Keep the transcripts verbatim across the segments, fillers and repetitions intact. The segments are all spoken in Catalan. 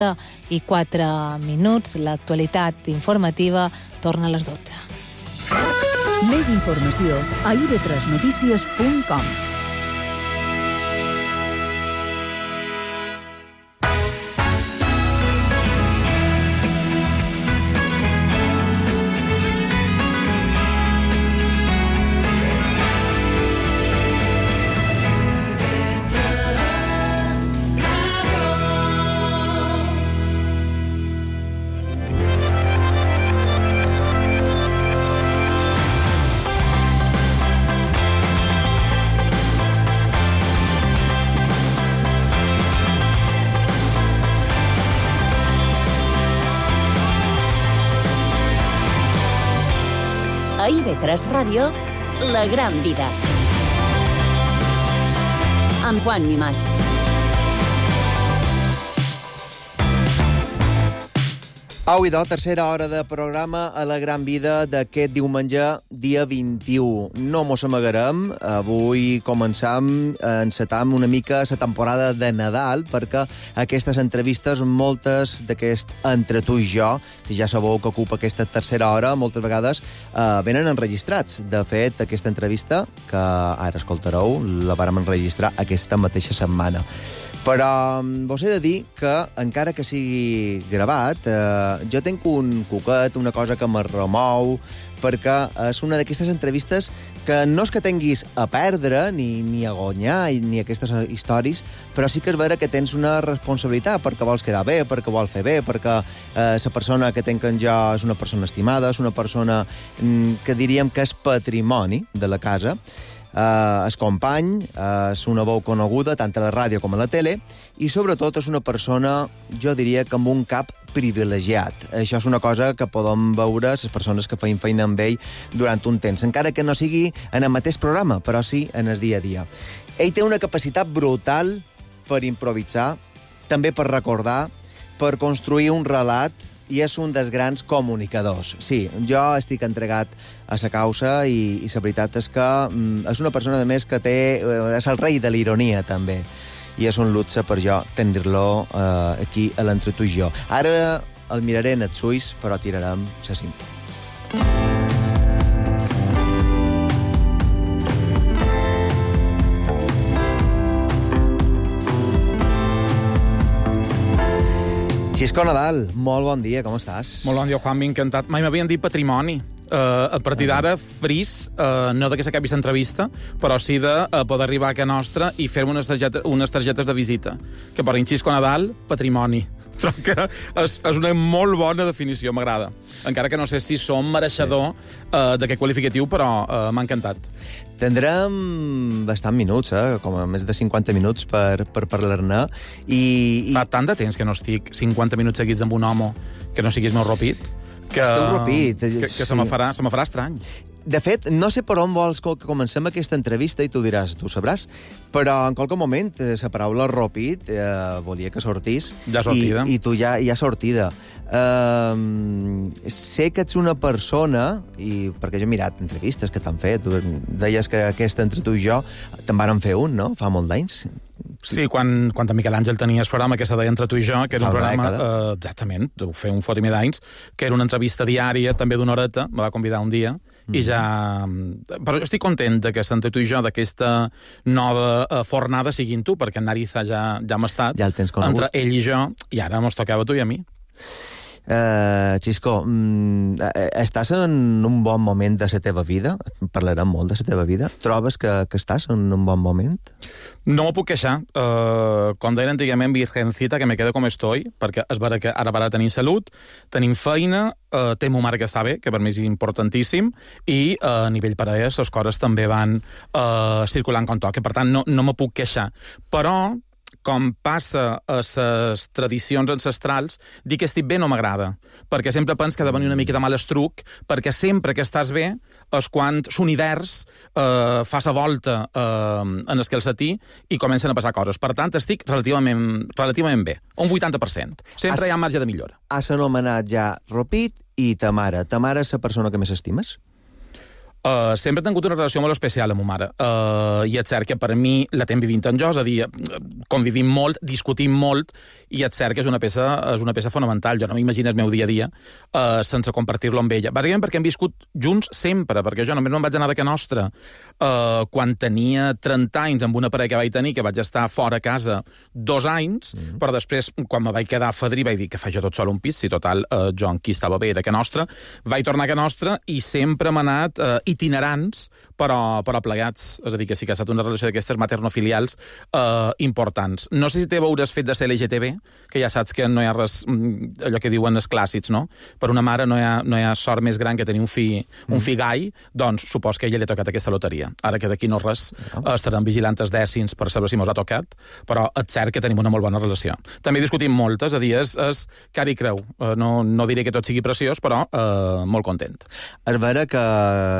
i quatre minuts. L'actualitat informativa torna a les dotze. Més informació a i ve tres notícies punt com. A i ve tres Ràdio, La Gran Vida. Amb Juan Mimàs. Au, idò, tercera hora de programa a La Gran Vida d'aquest diumenge, dia vint-i-u. No mos amagarem, avui començam, encetam una mica la temporada de Nadal, perquè aquestes entrevistes, moltes d'aquest Entre tu i jo, que ja sabeu que ocupa aquesta tercera hora, moltes vegades eh, venen enregistrats. De fet, aquesta entrevista, que ara escoltareu, la vàrem enregistrar aquesta mateixa setmana. Però vos he de dir que, encara que sigui gravat, eh, jo tenc un cuquet, una cosa que me remou, perquè és una d'aquestes entrevistes que no és que tinguis a perdre, ni, ni a guanyar, ni aquestes històries, però sí que és vera que tens una responsabilitat, perquè vols quedar bé, perquè vols fer bé, perquè eh, la persona que tenc en jo és una persona estimada, és una persona mm, que diríem que és patrimoni de la casa. Uh, és company, uh, és una veu coneguda tant a la ràdio com a la tele i sobretot és una persona, jo diria que amb un cap privilegiat. Això és una cosa que podem veure les persones que feien feina amb ell durant un temps, encara que no sigui en el mateix programa, però sí en el dia a dia. Ell té una capacitat brutal per improvisar, també per recordar, per construir un relat, i és un dels grans comunicadors. Sí, jo estic entregat a la causa i, i la veritat és que mm, és una persona, a més, que té, és el rei de l'ironia, també. I és un luxe per jo tenir-lo eh, aquí a l'Entre tu i jo. Ara el miraré en els ulls, però tirarem la cinta. Xisco Nadal, molt bon dia, com estàs? Molt bon dia, Juan, m'he encantat. Mai m'havien dit patrimoni. Uh, a partir d'ara, fris, uh, no de que s'acabi l'entrevista, però sí de uh, poder arribar a casa nostra i fer-me unes, targeta, unes targetes de visita. Que per Xisco Nadal, patrimoni. Trobo que és, és una molt bona definició, m'agrada. Encara que no sé si som mereixedor uh, d'aquest qualificatiu, però uh, m'ha encantat. Tindrem bastant minuts, eh? Com a més de cinquanta minuts per, per parlar-ne. I, i... Fa tant de temps que no estic cinquanta minuts seguits amb un home que no siguis meu ropit, que, Esteu ropit. que, que sí. se me farà, se me farà estrany. De fet, no sé per on vols que comencem aquesta entrevista i tu diràs, tu sabràs, però en qualque moment la paraula ropit eh, volia que sortís. Ja sortida. I, i tu ja, ja sortida. Uh, sé que ets una persona, i perquè jo he mirat entrevistes que t'han fet, deies que aquesta Entre tu i jo te'n varen fer un, no? Fa molt d'anys. Sí, quan, quan en Miquel Àngel tenia el programa que se deia Entre tu i jo, que era un Fa una programa, dècada. eh, exactament, ho fer un fotimer d'anys, que era una entrevista diària, també d'una horeta, me va convidar un dia, mm. i ja... Però jo estic content de que Entre tu i jo, d'aquesta nova eh, fornada, siguin tu, perquè en Nariza ja, ja hem estat, Ja el tens conegut. entre ell i jo, i ara mos tocava tu i a mi. Uh, Xisco, mm, estàs en un bon moment de la teva vida? Parlarem molt de la teva vida. Trobes que, que estàs en un bon moment? No m'ho puc queixar. Uh, com deien antigament, virgencita, que me quedo com estoy, perquè és vera que ara ara tenim salut, tenim feina, uh, té mo mare que està bé, que per mi és importantíssim, i uh, a nivell parelles les coses també van uh, circulant com toca. Per tant, no, no me puc queixar. Però, com passa a les tradicions ancestrals, dir que estic bé no m'agrada, perquè sempre penso que ha de venir una mica de mal estruc, perquè sempre que estàs bé és quan l'univers eh, fa la volta eh, en el calcetí i comencen a passar coses. Per tant, estic relativament, relativament bé, un vuitanta per cent. Sempre Has, hi ha marge de millora. Has anomenat ja Ropit i ta mare. Ta mare és la persona que més estimes? Uh, sempre he tingut una relació molt especial amb ma mare. Uh, I és cert que per mi la tenc vivint en jo, és a dir, convivim molt, discutim molt, i és cert que és una peça, és una peça fonamental. Jo no m'imagino el meu dia a dia uh, sense compartir-lo amb ella. Bàsicament perquè hem viscut junts sempre, perquè jo només me'n vaig anar de Can Nostra uh, quan tenia trenta anys amb una parella que vaig tenir, que vaig estar fora a casa dos anys, mm-hmm. però després, quan me vaig quedar a Fadrí, vaig dir que faig jo tot sol un pis, si total, uh, jo en qui estava bé era Can Nostra, vaig tornar a Can Nostra i sempre m'ha anat uh, itinerants, però, però plegats. És a dir, que sí que ha estat una relació d'aquestes maternofilials eh, importants. No sé si te veuràs fet de ser L G T B, que ja saps que no hi ha res, allò que diuen els clàssics, no? Per una mare no hi ha, no hi ha sort més gran que tenir un fill, un fill gai, doncs supos que a ella li ha tocat aquesta loteria. Ara que d'aquí no res, eh, estaran vigilant els dècims per saber si mos ha tocat, però és cert que tenim una molt bona relació. També discutim molt, és a dir, és, és cara i creu. Eh, no, no diré que tot sigui preciós, però eh, molt content. És vera que,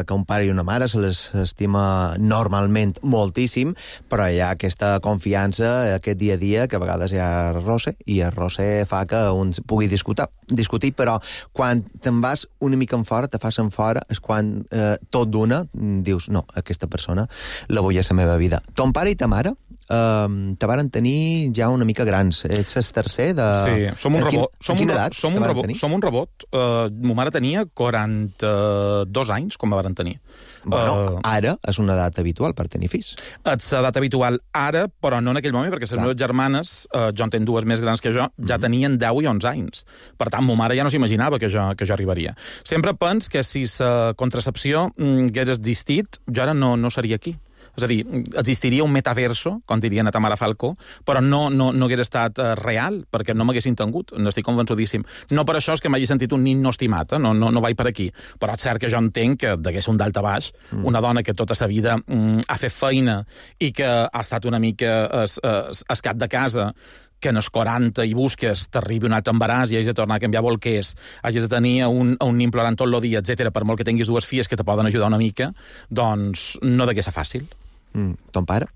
que un pare i una mare se les estima normalment moltíssim, però hi ha aquesta confiança, aquest dia a dia, que a vegades hi ha roce, i el roce fa que un pugui discutir, discutir però quan te'n vas una mica en fora, te fas en fora, és quan eh, tot d'una dius, no, aquesta persona la vull a la meva vida. Ton pare i ta mare Uh, te varen tenir ja una mica grans. Ets el tercer de... Sí, som un rebot. A quina edat som un rebot, som un rebot. Uh, ma mare tenia quaranta-dos anys quan me varen tenir. Bueno, uh, ara és una edat habitual per tenir fills. És edat habitual ara, però no en aquell moment, perquè les Clar. meves germanes, uh, jo en tenc dues més grans que jo, ja mm-hmm. tenien deu i onze anys. Per tant, ma mare ja no s'imaginava que jo, que jo arribaria. Sempre pens que si la contracepció mm, hagués existit, jo ara no, no seria aquí. És a dir, existiria un metaverso, com dirien a Tamara Falcó, però no, no, no hagués estat uh, real, perquè no m'haguessin tingut, n'estic convençudíssim. No per això és que m'hagi sentit un nin no estimat, eh? no, no, no vaig per aquí. Però és cert que jo entenc que degués un dalt a baix, mm. una dona que tota sa vida mm, ha fet feina i que ha estat una mica es, es, es cap de casa, que en els quaranta i busques t'arribi un altre embaràs i hagis de tornar a canviar bolquers, hagis de tenir un, un nin plorant tot el dia, etcètera, per molt que tinguis dues filles que te poden ajudar una mica, doncs no degués ser fàcil. Mm. Ton pare?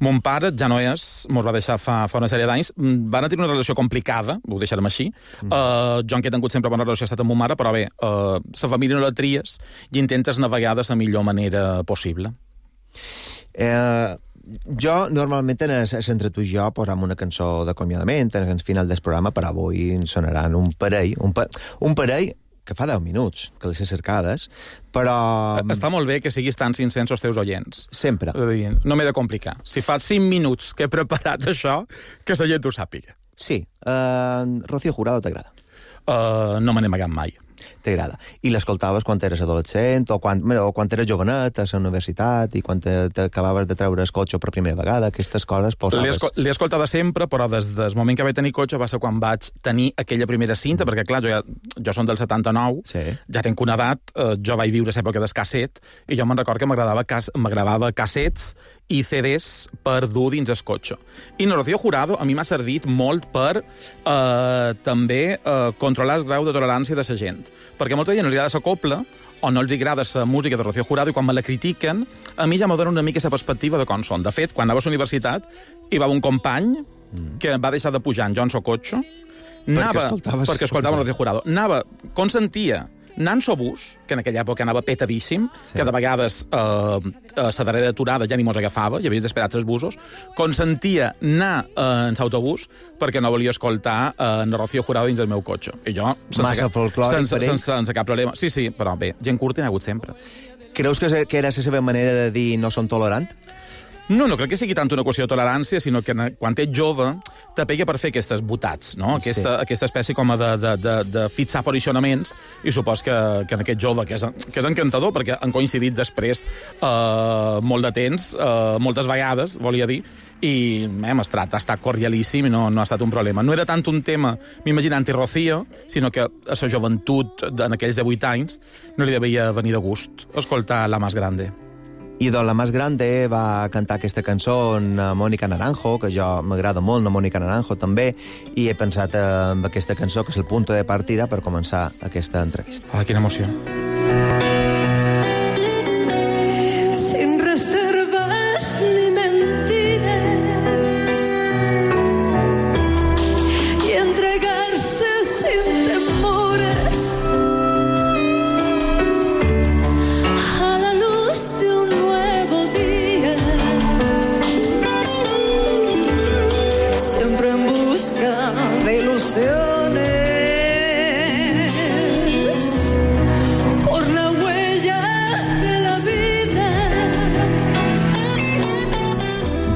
Mon pare ja no és, mos va deixar fa, fa una sèrie d'anys, van tenir una relació complicada, ho deixarem així, mm. uh, jo en què he tingut sempre bona relació ha estat amb mon mare, però bé, uh, la família no la tries i intentes navegar de la millor manera possible. Eh... Jo, normalment, en entre tu i jo, posam una cançó d'acomiadament en el final del programa, però avui sonaran un parell, un, pa un parell que fa deu minuts, que les he cercades, però... Està molt bé que siguis tan sincers els teus oients. Sempre. És a dir, no m'he de complicar. Si fa cinc minuts que he preparat això, que la gent ho sàpiga. Sí. Uh, Rocío Jurado t'agrada? Uh, no me n'he amagat mai. T'agrada. I l'escoltaves quan eres adolescent o quan, o quan eres jovenet a la universitat i quan t'acabaves de treure el cotxe per primera vegada, aquestes coses posaves... L'he escoltada sempre, però des del moment que vaig tenir cotxe va ser quan vaig tenir aquella primera cinta, mm. perquè clar, jo, ja, jo som del setanta-nou, sí. ja tenc una edat, eh, jo vaig viure l'època del casset, i jo me'n record que m'agradava cas, m'agradava cassets i C Ds per dur dins el cotxe. I no, Rocío Jurado a mi m'ha servit molt per eh, també eh, controlar el grau de tolerància de la gent. Perquè molta gent no li agrada la copla o no els agrada la música de Rocío Jurado i quan me la critiquen, a mi ja m'ho dona una mica la perspectiva de com són. De fet, quan anava a la universitat hi va un company mm. que va deixar de pujar en Johnson Cotxe anava, perquè escoltava Rocío Jurado. Anava, consentia Nanso Bus, que en aquella època anava petadíssim, sí. que de vegades eh, a la darrera aturada ja ni mos agafava, ja havies d'esperar tres busos, consentia anar eh, en l'autobús perquè no volia escoltar eh, en Rocío Jurado dins el meu cotxe. I jo, sense, Massa cap, folclòric sense, per ell? sense, sense cap problema. Sí, sí, però bé, gent curta n'hi ha hagut sempre. Creus que, que era la seva manera de dir no són tolerant? No, no crec que sigui tant una qüestió de tolerància, sinó que quan ets jove te pega per fer aquestes botats, no? Aquesta, sí. aquesta espècie com de, de, de, de fixar posicionaments, i supos que, que en aquest jove, que és, que és encantador, perquè han coincidit després eh, molt de temps, eh, moltes vegades, volia dir, i hem estat, ha estat cordialíssim i no, no ha estat un problema. No era tant un tema, m'imagino, anti-Rocío, sinó que a la joventut, en aquells divuit anys, no li devia venir de gust escoltar La Más Grande. I de La Más Grande va cantar aquesta cançó en Mónica Naranjo, que jo m'agrada molt, en Mónica Naranjo també, i he pensat en aquesta cançó, que és el punt de partida per començar aquesta entrevista. Ah, quina emoció. Sin reservas ni mentiras y entregarse sin temores a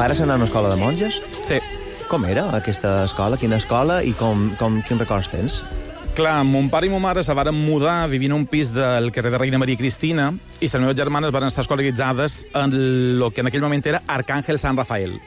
pares anar a una escola de monges? Sí. Com era aquesta escola? Quina escola i com, com, quins records tens? Clar, mon pare i mon mare se varen mudar vivint en un pis del carrer de Reina Maria Cristina i les meves germanes van estar escolaritzades en el que en aquell moment era Arcàngel Sant Rafael,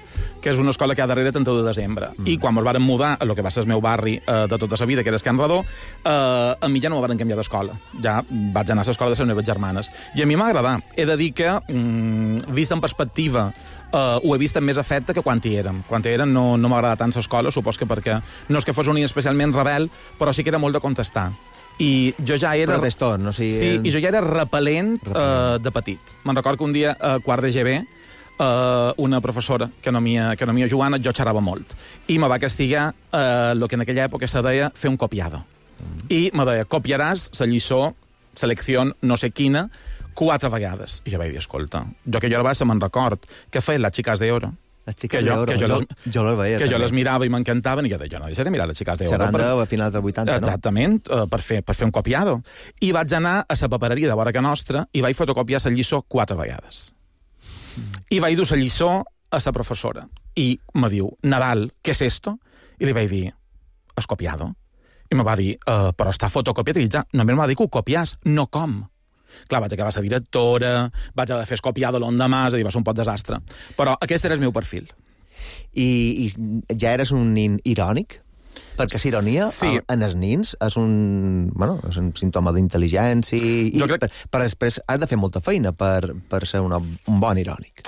que és una escola que hi ha darrere trenta-u de desembre. Mm. I quan ens varen mudar a lo que va ser el meu barri eh, de tota la vida, que era Can Redó, eh, a mi ja no me varen canviar d'escola. Ja vaig anar a l'escola de les meves germanes. I a mi m'ha agradat. He de dir que, mm, vist en perspectiva, Uh, ho he vist amb més afecte que quan hi érem. Quan hi érem no, no m'agrada tant l'escola, supos que perquè no és que fos un nen especialment rebel, però sí que era molt de contestar. I jo ja era... Però tot, no? O sigui... Sí, i jo ja era repel·lent, repel·lent. Uh, de petit. Me'n recordo que un dia, a uh, quart de G B, uh, una professora, que no mia, que no mia Joana, jo xerrava molt. I me va castigar el uh, que en aquella època se deia fer un copiado. Mm. I me deia, copiaràs la lliçó, selecció no sé quina, quatre vegades. I jo vaig dir, escolta, jo que jo ara baixa me'n record que feien les xiques d'oro. Les xiques d'oro, jo, jo, les, jo les veia. Que també. Jo les mirava i m'encantaven, i jo deia, jo no deixaré mirar les xiques d'oro. Xerrant per... a finals dels vuitanta, no? Exactament, uh, per, fer, per fer un copiado. I vaig anar a la papereria de vora que nostra i vaig fotocopiar la lliçó quatre vegades. Mm. I vaig dur la lliçó a la professora. I me diu, Nadal, què és esto? I li vaig dir, has copiado? I me va dir, uh, però està fotocopiat. I ja, només m'ha dit que ho copiàs, no com. Clar, vaig acabar la directora, vaig haver de fer escopiado l'endemà, és a dir, va ser un pot desastre. Però aquest era el meu perfil. I, i ja eres un nin irònic? Perquè la ironia sí. en els nins és un, bueno, és un símptoma d'intel·ligència i, crec... per, per després has de fer molta feina per, per ser una, un bon irònic.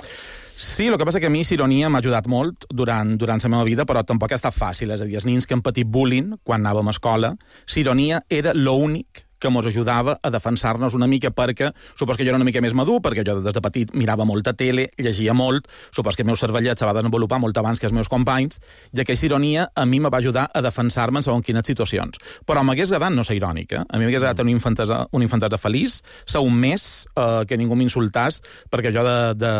Sí, el que passa que a mi l'ironia m'ha ajudat molt durant, durant la meva vida, però tampoc ha estat fàcil. És a dir, els nins que han patit bullying quan anàvem a escola, l'ironia era l'únic que ens ajudava a defensar-nos una mica perquè, supos que jo era una mica més madur, perquè jo des de petit mirava molta tele, llegia molt, supos que el meu cervellet se va desenvolupar molt abans que els meus companys, i aquesta ironia a mi me va ajudar a defensar-me en segons quines situacions. Però m'hagués agradat no ser irònica. Eh? A mi m'hagués agradat tenir una infantesa, una infantesa feliç, ser un mes, eh, que ningú m'insultàs, perquè jo de, de,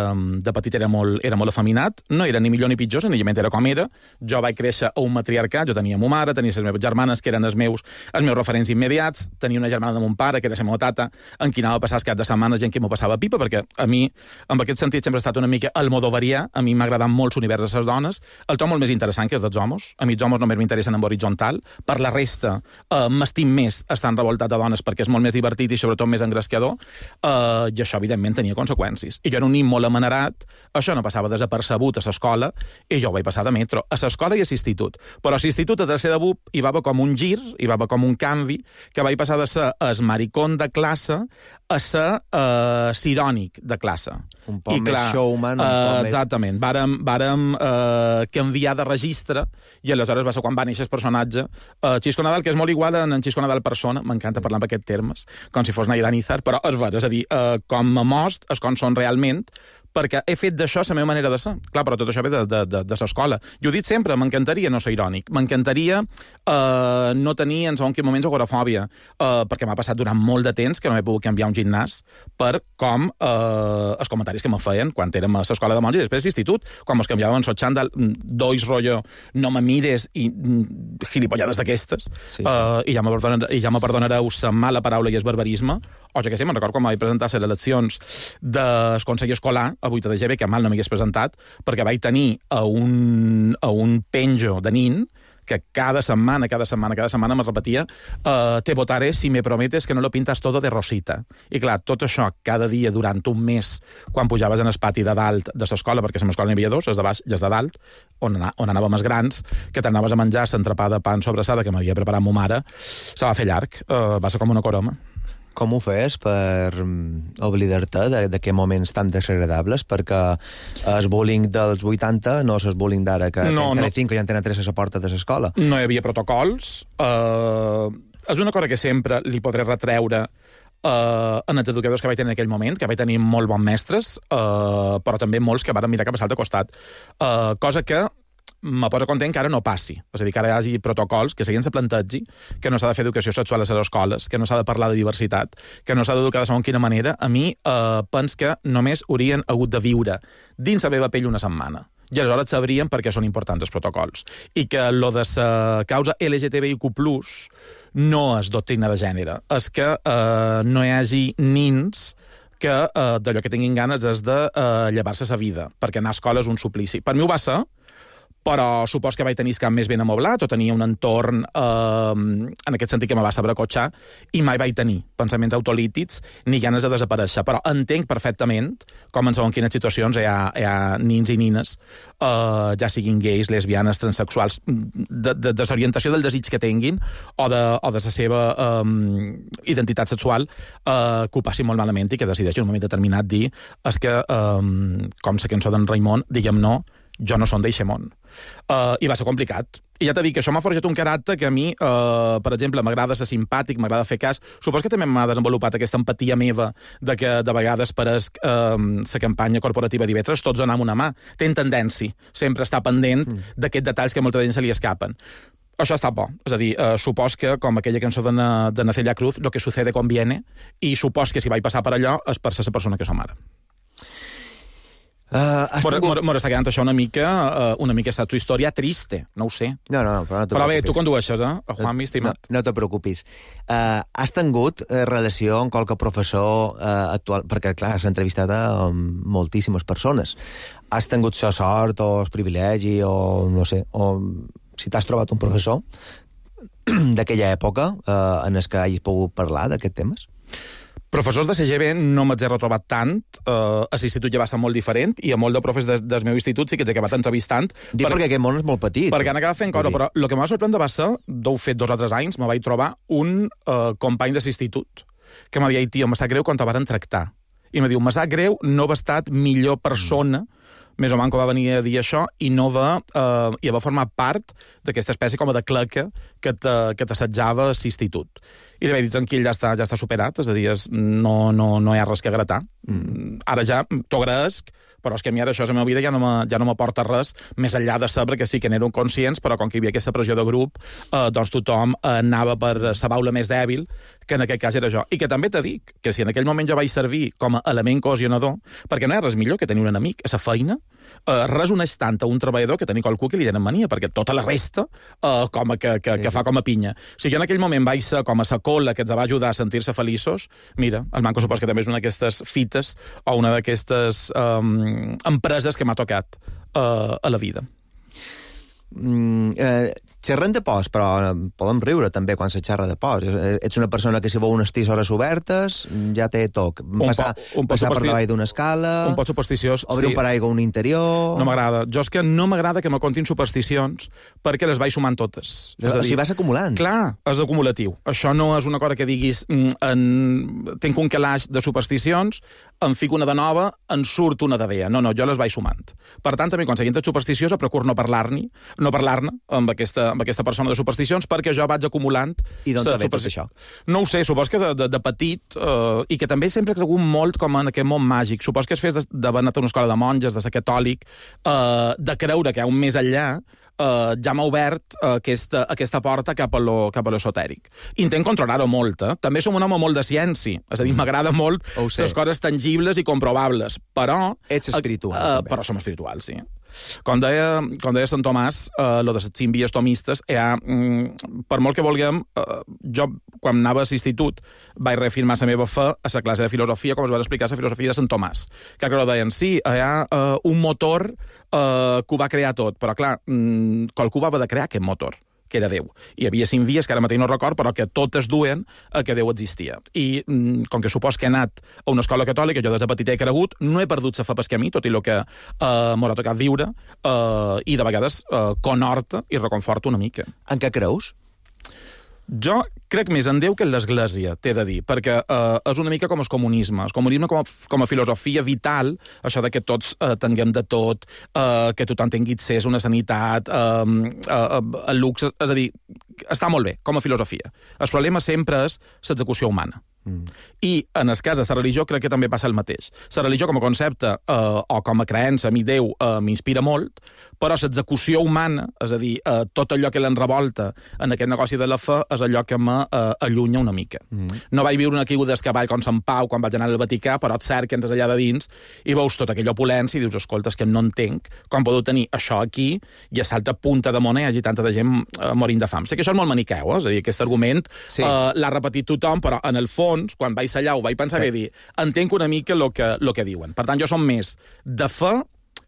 de petit era molt, era molt afeminat, no era ni millor ni pitjor, senzillament era com era. Jo vaig créixer a un matriarcat, jo tenia ma mare, tenia les meves germanes, que eren els meus, els meus referents immediats, tenia una germana de mon pare, que era la meva tata, en qui anava a passar els caps de setmana i en qui m'ho passava pipa, perquè a mi, en aquest sentit, sempre he estat una mica almodovarià, a mi m'ha agradat molt l'univers de les dones, el to molt més interessant que és dels homes, a mi els homes només m'interessen en horitzontal, per la resta eh, m'estim més estant revoltat de dones perquè és molt més divertit i sobretot més engrescador, eh, i això evidentment tenia conseqüències. I jo era un nin molt amanerat, això no passava desapercebut a l'escola, i jo ho vaig passar de metro, a l'escola i a l'institut. Però a l'institut, a tercer de B U P, hi va haver com un gir, hi va haver com un canvi, que vaig passar de ser el maricón de classe a ser uh, irònic de classe. Un poc I, més clar, showman, un uh, poc més... Exactament. Vàrem, vàrem uh, canviar de registre i aleshores va ser quan va néixer el personatge uh, Xisco Nadal, que és molt igual en, en Xisco Nadal persona, m'encanta parlar amb aquests termes, com si fos Naida Nizar, però és ver, és a dir, uh, com a most, és com són realment, perquè he fet d'això la meva manera de ser. Clar, però tot això ve de, de, de, de l'escola. Jo he dit sempre, m'encantaria no ser irònic, m'encantaria eh, no tenir en segons quins moments agorafòbia, eh, perquè m'ha passat durant molt de temps que no he pogut canviar un gimnàs per com eh, els comentaris que me feien quan érem a l'escola de monja i després a l'institut, quan mos canviàvem el xandall, dois rotllo, no me mires i mm, gilipollades d'aquestes, sí, sí. Eh, i ja me perdonareu, ja me perdonareu la mala paraula i el barbarisme, o jo què sé, me'n record quan vaig presentar les eleccions del Consell Escolar, a vuit de G B, que mal no m'hagués presentat, perquè vaig tenir a un, a un penjo de nin que cada setmana, cada setmana, cada setmana me repetia uh, te votaré si me prometes que no lo pintas todo de rosita. I clar, tot això cada dia durant un mes, quan pujaves en el pati de dalt de l'escola, perquè a l'escola n'hi havia dos, els de baix i els de dalt, on, on anàvem els grans, que t'anaves a menjar l'entrepà de pa en sobrassada que m'havia preparat ma mare, se va fer llarg, uh, va ser com una coroma. Com ho fes per oblidar-te d'aquests moments tan desagradables? Perquè el bullying dels vuitanta no és el bullying d'ara, que no, tens Telecinco no. I Antena tres a la porta de l'escola. No hi havia protocols. Uh, és una cosa que sempre li podré retreure uh, en els educadors que vaig tenir en aquell moment, que vaig tenir molt bons mestres, uh, però també molts que van mirar cap a l'altre costat. Uh, cosa que me posa content que ara no passi. És a dir, que ara hi hagi protocols que seguien se plantegi, que no s'ha de fer educació sexual a les escoles, que no s'ha de parlar de diversitat, que no s'ha d'educar de segons quina manera. A mi eh, pens que només haurien hagut de viure dins la meva pell una setmana. I aleshores sabrien per què són importants els protocols. I que lo de la causa L G T B I Q plus, no és doctrina de gènere. És que eh, no hi hagi nins que uh, d'allò que tinguin ganes és de uh, llevar-se sa vida, perquè anar a escola és un suplici. Per mi ho va ser, però supos que vaig tenir el camp més ben amoblat o tenia un entorn eh, en aquest sentit que me va saber cotxar i mai vaig tenir pensaments autolítics ni ganes de desaparèixer. Però entenc perfectament com en segons quines situacions hi ha, hi ha nins i nines, eh, ja siguin gais, lesbianes, transexuals, de, de desorientació del desig que tinguin o de, o de la seva eh, identitat sexual, eh, que ho passin molt malament i que decideixin en un moment determinat dir és que, eh, com la cançó d'en Raimon, diguem no, jo no som d'eixe món. Uh, I va ser complicat. I ja t'he dit que això m'ha forjat un caràcter que a mi, uh, per exemple, m'agrada ser simpàtic, m'agrada fer cas. Supos que també m'ha desenvolupat aquesta empatia meva de que de vegades pareix uh, la campanya corporativa d'Ivetres tots donem una mà. Ten tendència sempre estar pendent mm. d'aquests detalls que a molta gent se li escapen. Això està bo. És a dir, uh, supos que, com aquella cançó de, Na, de Nacella Cruz, lo que sucede conviene, i supos que si vaig passar per allò és per ser la persona que som ara. Uh, Mora, tingut... mora està quedant això una mica, uh, una mica està tu història triste, no ho sé. No, no, però no te Però bé, preocupis. tu condueixes, eh? A Juanmi, estimat. No, no te preocupis. Uh, has tingut uh, relació amb qualque professor uh, actual? Perquè, clar, has entrevistat a um, moltíssimes persones. Has tingut la sort o el privilegi o, no sé, o si t'has trobat un professor d'aquella època uh, en el que hagis pogut parlar d'aquests temes? Professors de C G B no m'haig retrobat tant, eh, a l'institut ja va ser molt diferent, i a molt de profes des, del meu institut sí que t'he acabat entrevistant. Dic per, perquè aquest món és molt petit. Perquè han acabat fent cosa, però el que m'ha sorprendre va ser, d'ho fet dos o tres anys, me vaig trobar un eh, company de l'institut, que m'havia dit, tio, me sap greu quan te varen tractar. I me diu, me sap greu no va estat millor persona, mm. més o menys que va venir a dir això, i no va, eh, i va formar part d'aquesta espècie com de claca que t'assetjava a l'institut. I li vaig dir, tranquil, ja està, ja està superat, és a dir, és, no, no, no hi ha res que gratar. Mm. Ara ja t'ho agraesc, però és que a mi ara això a la meva vida ja no m'aporta res, més enllà de saber que sí que n'érem conscients, però com que hi havia aquesta pressió de grup, eh, doncs tothom eh, anava per la baula més dèbil, que en aquest cas era jo. I que també te dic que si en aquell moment jo vaig servir com a element cohesionador, perquè no hi ha res millor que tenir un enemic a la feina, eh, res uneix tant a un treballador que tenir qualcú que li tenen mania, perquè tota la resta eh, com a que, que, que fa com a pinya. O sigui, jo en aquell moment vaig ser com a sa cola que ens va ajudar a sentir-se feliços. Mira, el Manco supos que també és una d'aquestes fites o una d'aquestes um, empreses que m'ha tocat uh, a la vida. Mm, eh, xerrem de pors, però podem riure també quan se xerra de pors. Ets una persona que si veu unes tisores obertes ja té toc. Passar, un passar per supersti... davall d'una escala... Un pot supersticiós, obrir sí. un paraigua a un interior... No m'agrada. Jo és que no m'agrada que me contin supersticions perquè les vaig sumant totes. És a dir, o sigui, vas acumulant. Clar, és acumulatiu. Això no és una cosa que diguis en... tenc un calaix de supersticions, em fico una de nova, en surt una de vella. No, no, jo les vaig sumant. Per tant, també quan seguint supersticiosa procuro no parlar-ne no parlar-ne amb aquesta, amb aquesta persona de supersticions perquè jo vaig acumulant... I d'on t'ha ve tot això? No ho sé, supos que de, de, de petit, eh, i que també sempre he cregut molt com en aquest món màgic. Supos que es fes d'haver anat a una escola de monges, de ser catòlic, eh, de creure que hi ha un més enllà, eh, ja m'ha obert eh, aquesta, aquesta porta cap a lo, cap a l'esotèric. Intent controlar-ho molt, eh? També som un home molt de ciència, és a dir, m'agrada molt les coses tangibles i comprovables, però... Ets espiritual, eh, també. Però som espirituals, sí. Com deia, com deia Sant Tomàs, eh, lo de les cinc vies tomistes, ha, mm, per molt que vulguem, eh, jo, quan anava a l'institut, vaig reafirmar la meva fe a la classe de filosofia, com es va explicar la filosofia de Sant Tomàs. Que que deien, sí, hi ha eh, un motor eh, que ho va crear tot, però clar, mm, qualcú va haver de crear aquest motor, que era Déu. Hi havia cinc vies, que ara mateix no record, però que totes duen a que Déu existia. I mm, com que supos que he anat a una escola catòlica, jo des de petit he cregut, no he perdut la fe pel camí, tot i el que eh, m'ha tocat viure, eh, i de vegades eh, conhorta i reconforta una mica. En què creus? Jo crec més en Déu que en l'Església, t'he de dir, perquè eh, és una mica com el comunisme. El comunisme com a, com a filosofia vital, això de que tots eh, tinguem de tot, eh, que tothom tingui accés a una sanitat, eh, eh, el luxe, és a dir, està molt bé, com a filosofia. El problema sempre és l'execució humana. Mm. I en el cas de la religió crec que també passa el mateix. La religió com a concepte eh, o com a creença, a mi Déu eh, m'inspira molt, però l'execució humana, és a dir, eh, tot allò que l'enrevolta en aquest negoci de la fe és allò que m'allunya una mica. Mm. No vaig viure una caiguda del cavall com Sant Pau quan vaig anar al Vaticà, però et cert que ens allà de dins i veus tota aquella opulència i dius, escolta, és que no entenc com podeu tenir això aquí i a l'altra punta de món hi hagi tanta de gent eh, morint de fam. Sé que això és molt maniqueu, eh? És a dir, aquest argument sí. eh, l'ha repetit tothom, però en el fons fons, quan vaig allà ho vaig pensar que dir, entenc una mica el que, lo que diuen. Per tant, jo som més de fe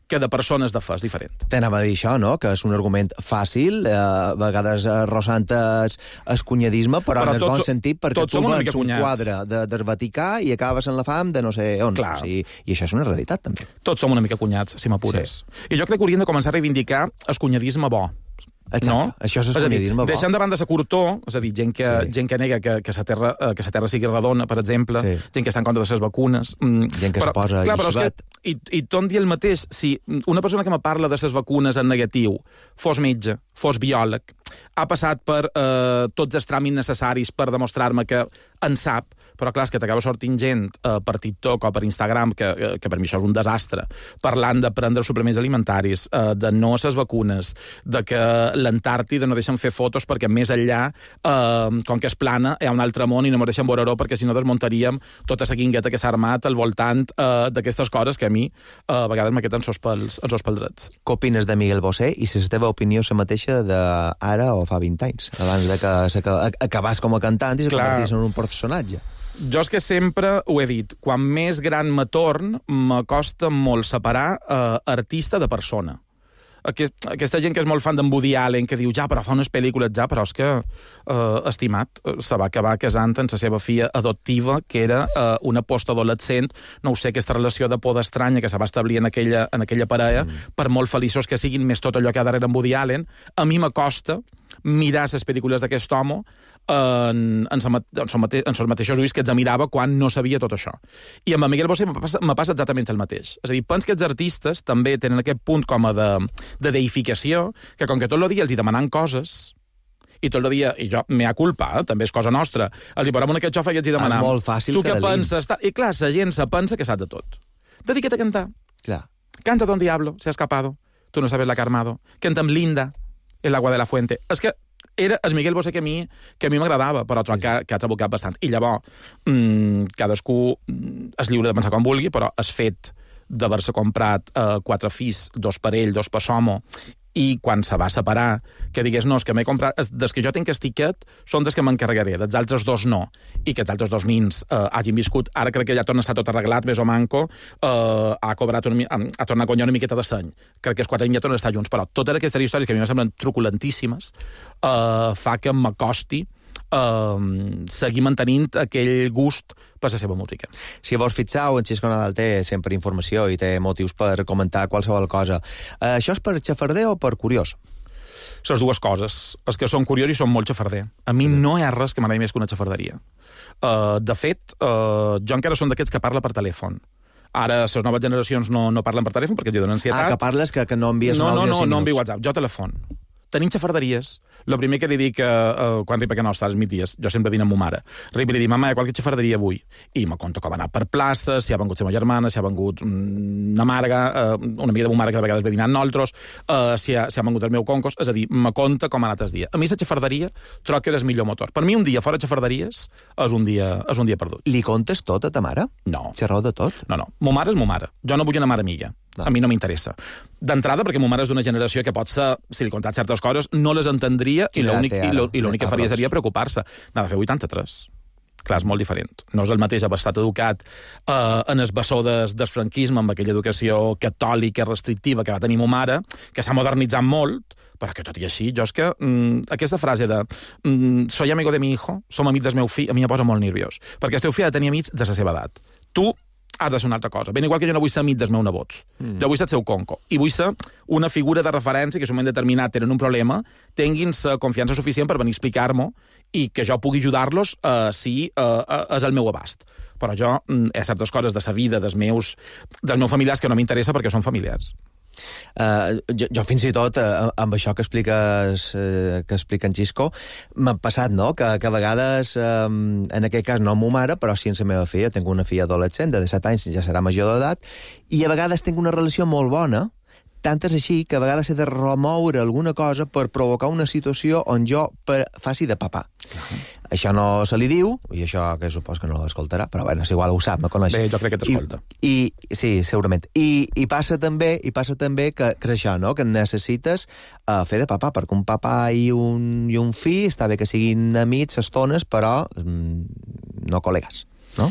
que de persones de fe, és diferent. T'anava a dir això, no?, que és un argument fàcil, eh, a vegades arrossant es, es cunyadisme, però, però en el bon sentit, perquè tu vens un quadre de, del Vaticà i acabes en la fam de no sé on. O sigui, i això és una realitat, també. Tots som una mica cunyats, si m'apures. Sí. I jo crec que hauríem de començar a reivindicar el cunyadisme bo. Exacte, no? Això és escunyadisme bo. Deixant de banda la curtor, és a dir, gent que, sí. gent que nega que, que, la terra, que la terra sigui redona, per exemple, sí. gent que està en contra de les vacunes... Gent que però, se posa clar, lliçonet. I, I tot dir el mateix, si una persona que me parla de les vacunes en negatiu fos metge, fos biòleg, ha passat per eh, tots els tràmits necessaris per demostrar-me que en sap, però clar, és que t'acaba sortint gent eh, per TikTok o per Instagram, que, que per mi això és un desastre, parlant de prendre suplements alimentaris, eh, de no a les vacunes, de que l'Antàrtida no deixen fer fotos perquè més enllà, eh, com que és plana, hi ha un altre món i no me deixen veure-ho perquè si no desmuntaríem tota la guingueta que s'ha armat al voltant eh, d'aquestes coses que a mi eh, a vegades m'aqueten sos pels, els sos pels drets. Què opines de Miguel Bosé i si la teva opinió és la mateixa d'ara o fa vint anys, abans de que acabàs com a cantant i se convertís en un personatge? Jo és que sempre ho he dit, quan més gran me torn, m'acosta molt separar eh, artista de persona. Aquest, aquesta gent que és molt fan d'en Woody Allen, que diu, ja, però fa unes pel·lícules, ja, però és que, eh, estimat, se va acabar casant amb la seva filla adoptiva, que era eh, una postadolescent, no ho sé, aquesta relació de por estranya que se va establir en aquella, en aquella parella, mm. per molt feliços que siguin més tot allò que ha darrere en Woody Allen, a mi m'acosta mirar les pel·lícules d'aquest home en, en, sa, en, sa mate, en els mateixos ulls que ets mirava quan no sabia tot això. I amb en Miguel Bosé me passa, me passa exactament el mateix. És a dir, penso que els artistes també tenen aquest punt com a de, de deificació, que com que tot el dia els hi demanen coses, i tot el dia, i jo, mea culpa, eh, també és cosa nostra, els hi parem en aquest xofa i els hi demanam. És molt fàcil, tu què penses? I clar, la gent se pensa que sap de tot. Dedica't a cantar. Clar. Canta Don Diablo, se ha escapado. Tu no sabes la que ha armado. Canta amb Linda, El agua de la fuente. És que era el Miguel Bosé que a mi que a mi m'agradava, però troc que, que ha trabucat bastant. I llavors, mmm, cadascú és lliure de pensar com vulgui, però és fet d'haver-se comprat eh, quatre fills, dos per ell, dos per l'home, i quan se va separar, que digués, no, és que m'he comprat... Des que jo tinc el tiquet, són des que m'encarregaré, dels altres dos no. I que els altres dos nins eh, hagin viscut, ara crec que ja torna a estar tot arreglat, més o manco, eh, ha cobrat una, ha tornat a guanyar una miqueta de seny. Crec que els quatre anys ja tornen a estar junts, però totes aquestes històries que a mi me semblen truculentíssimes eh, fa que m'acosti Uh, seguir mantenint aquell gust per la seva música. Si vos fixeu, en Xisco Nadal té sempre informació i té motius per comentar qualsevol cosa. Uh, això és per xafarder o per curiós? Les dues coses. Els que són curiós i són molt xafarder. A mi no hi ha res que m'agradi més que una xafarderia. Uh, de fet, uh, jo encara som d'aquests que parla per telèfon. Ara, les noves generacions no, no parlen per telèfon perquè els donen ansietat. Ah, que parles, que, que no envies no, un àudio no, no, de cinc no, minuts. no envio WhatsApp, jo telèfon. Tenim xafarderies. El primer que li dic uh, quan arriba a casa nostra, als migdies, jo sempre dino amb ma mare, arriba i li dic, mama, hi ha qualque xafarderia avui? I me conto com ha anat per places, si ha vengut la meva germana, si ha vengut una marga, uh, una amiga de ma mare que de vegades ve dinant nosaltres, uh, si, ha, si ha vengut el meu concos, és a dir, me conta com ha anat el dia. A mi la xafarderia troc que és el millor motor. Per mi un dia fora xafarderies és un dia, és un dia perdut. Li contes tot a ta mare? No. Xerreu de tot? No, no. Ma mare és ma mare. Jo no vull una mare amiga. No. A mi no m'interessa. D'entrada, perquè ma mare és d'una generació que potser, si li contat certes coses, no les entendria i l'únic que faria seria preocupar-se. N'ha de fer vuitanta-tres. Clar, és molt diferent. No és el mateix haver estat educat eh, en el bessó des, del franquisme, amb aquella educació catòlica restrictiva que va tenir ma mare, que s'ha modernitzat molt, però que tot i així, jo és que mm, aquesta frase de mm, soy amigo de mi hijo, som amics del meu fill, a mi em posa molt nerviós. Perquè el teu fill ha de tenir amics de la seva edat. Tu ha de ser una altra cosa. Ben igual que jo no vull ser amic dels meus nebots. Mm. Jo vull ser el seu conco. I vull ser una figura de referència que, en un moment determinat, tenen un problema, tinguin la confiança suficient per venir a explicar-m'ho i que jo pugui ajudar-los uh, si uh, uh, és el meu abast. Però jo mm, hi ha certes coses de sa vida, dels meus, dels meus familiars, que no m'interessa perquè són familiars. Uh, jo, jo fins i tot uh, amb això que expliques uh, que explica en Xisco m'ha passat, no?, que, que a vegades um, en aquest cas no amb ma mare, però sí amb la meva filla. Tinc una filla adolescent de disset anys, ja serà major d'edat, i a vegades tinc una relació molt bona, tant és així que a vegades he de remoure alguna cosa per provocar una situació on jo per, faci de papà. Uh-huh. Això no se li diu, i això que supos que no l'escoltarà, però bueno, és igual, ho sap, me coneix. Bé, jo crec que t'escolta. I, i, sí, segurament. I, i passa també i passa també que, que això, no?, que necessites uh, fer de papà, perquè un papà i un, i un fill està bé que siguin amics estones, però um, no col·legues, no?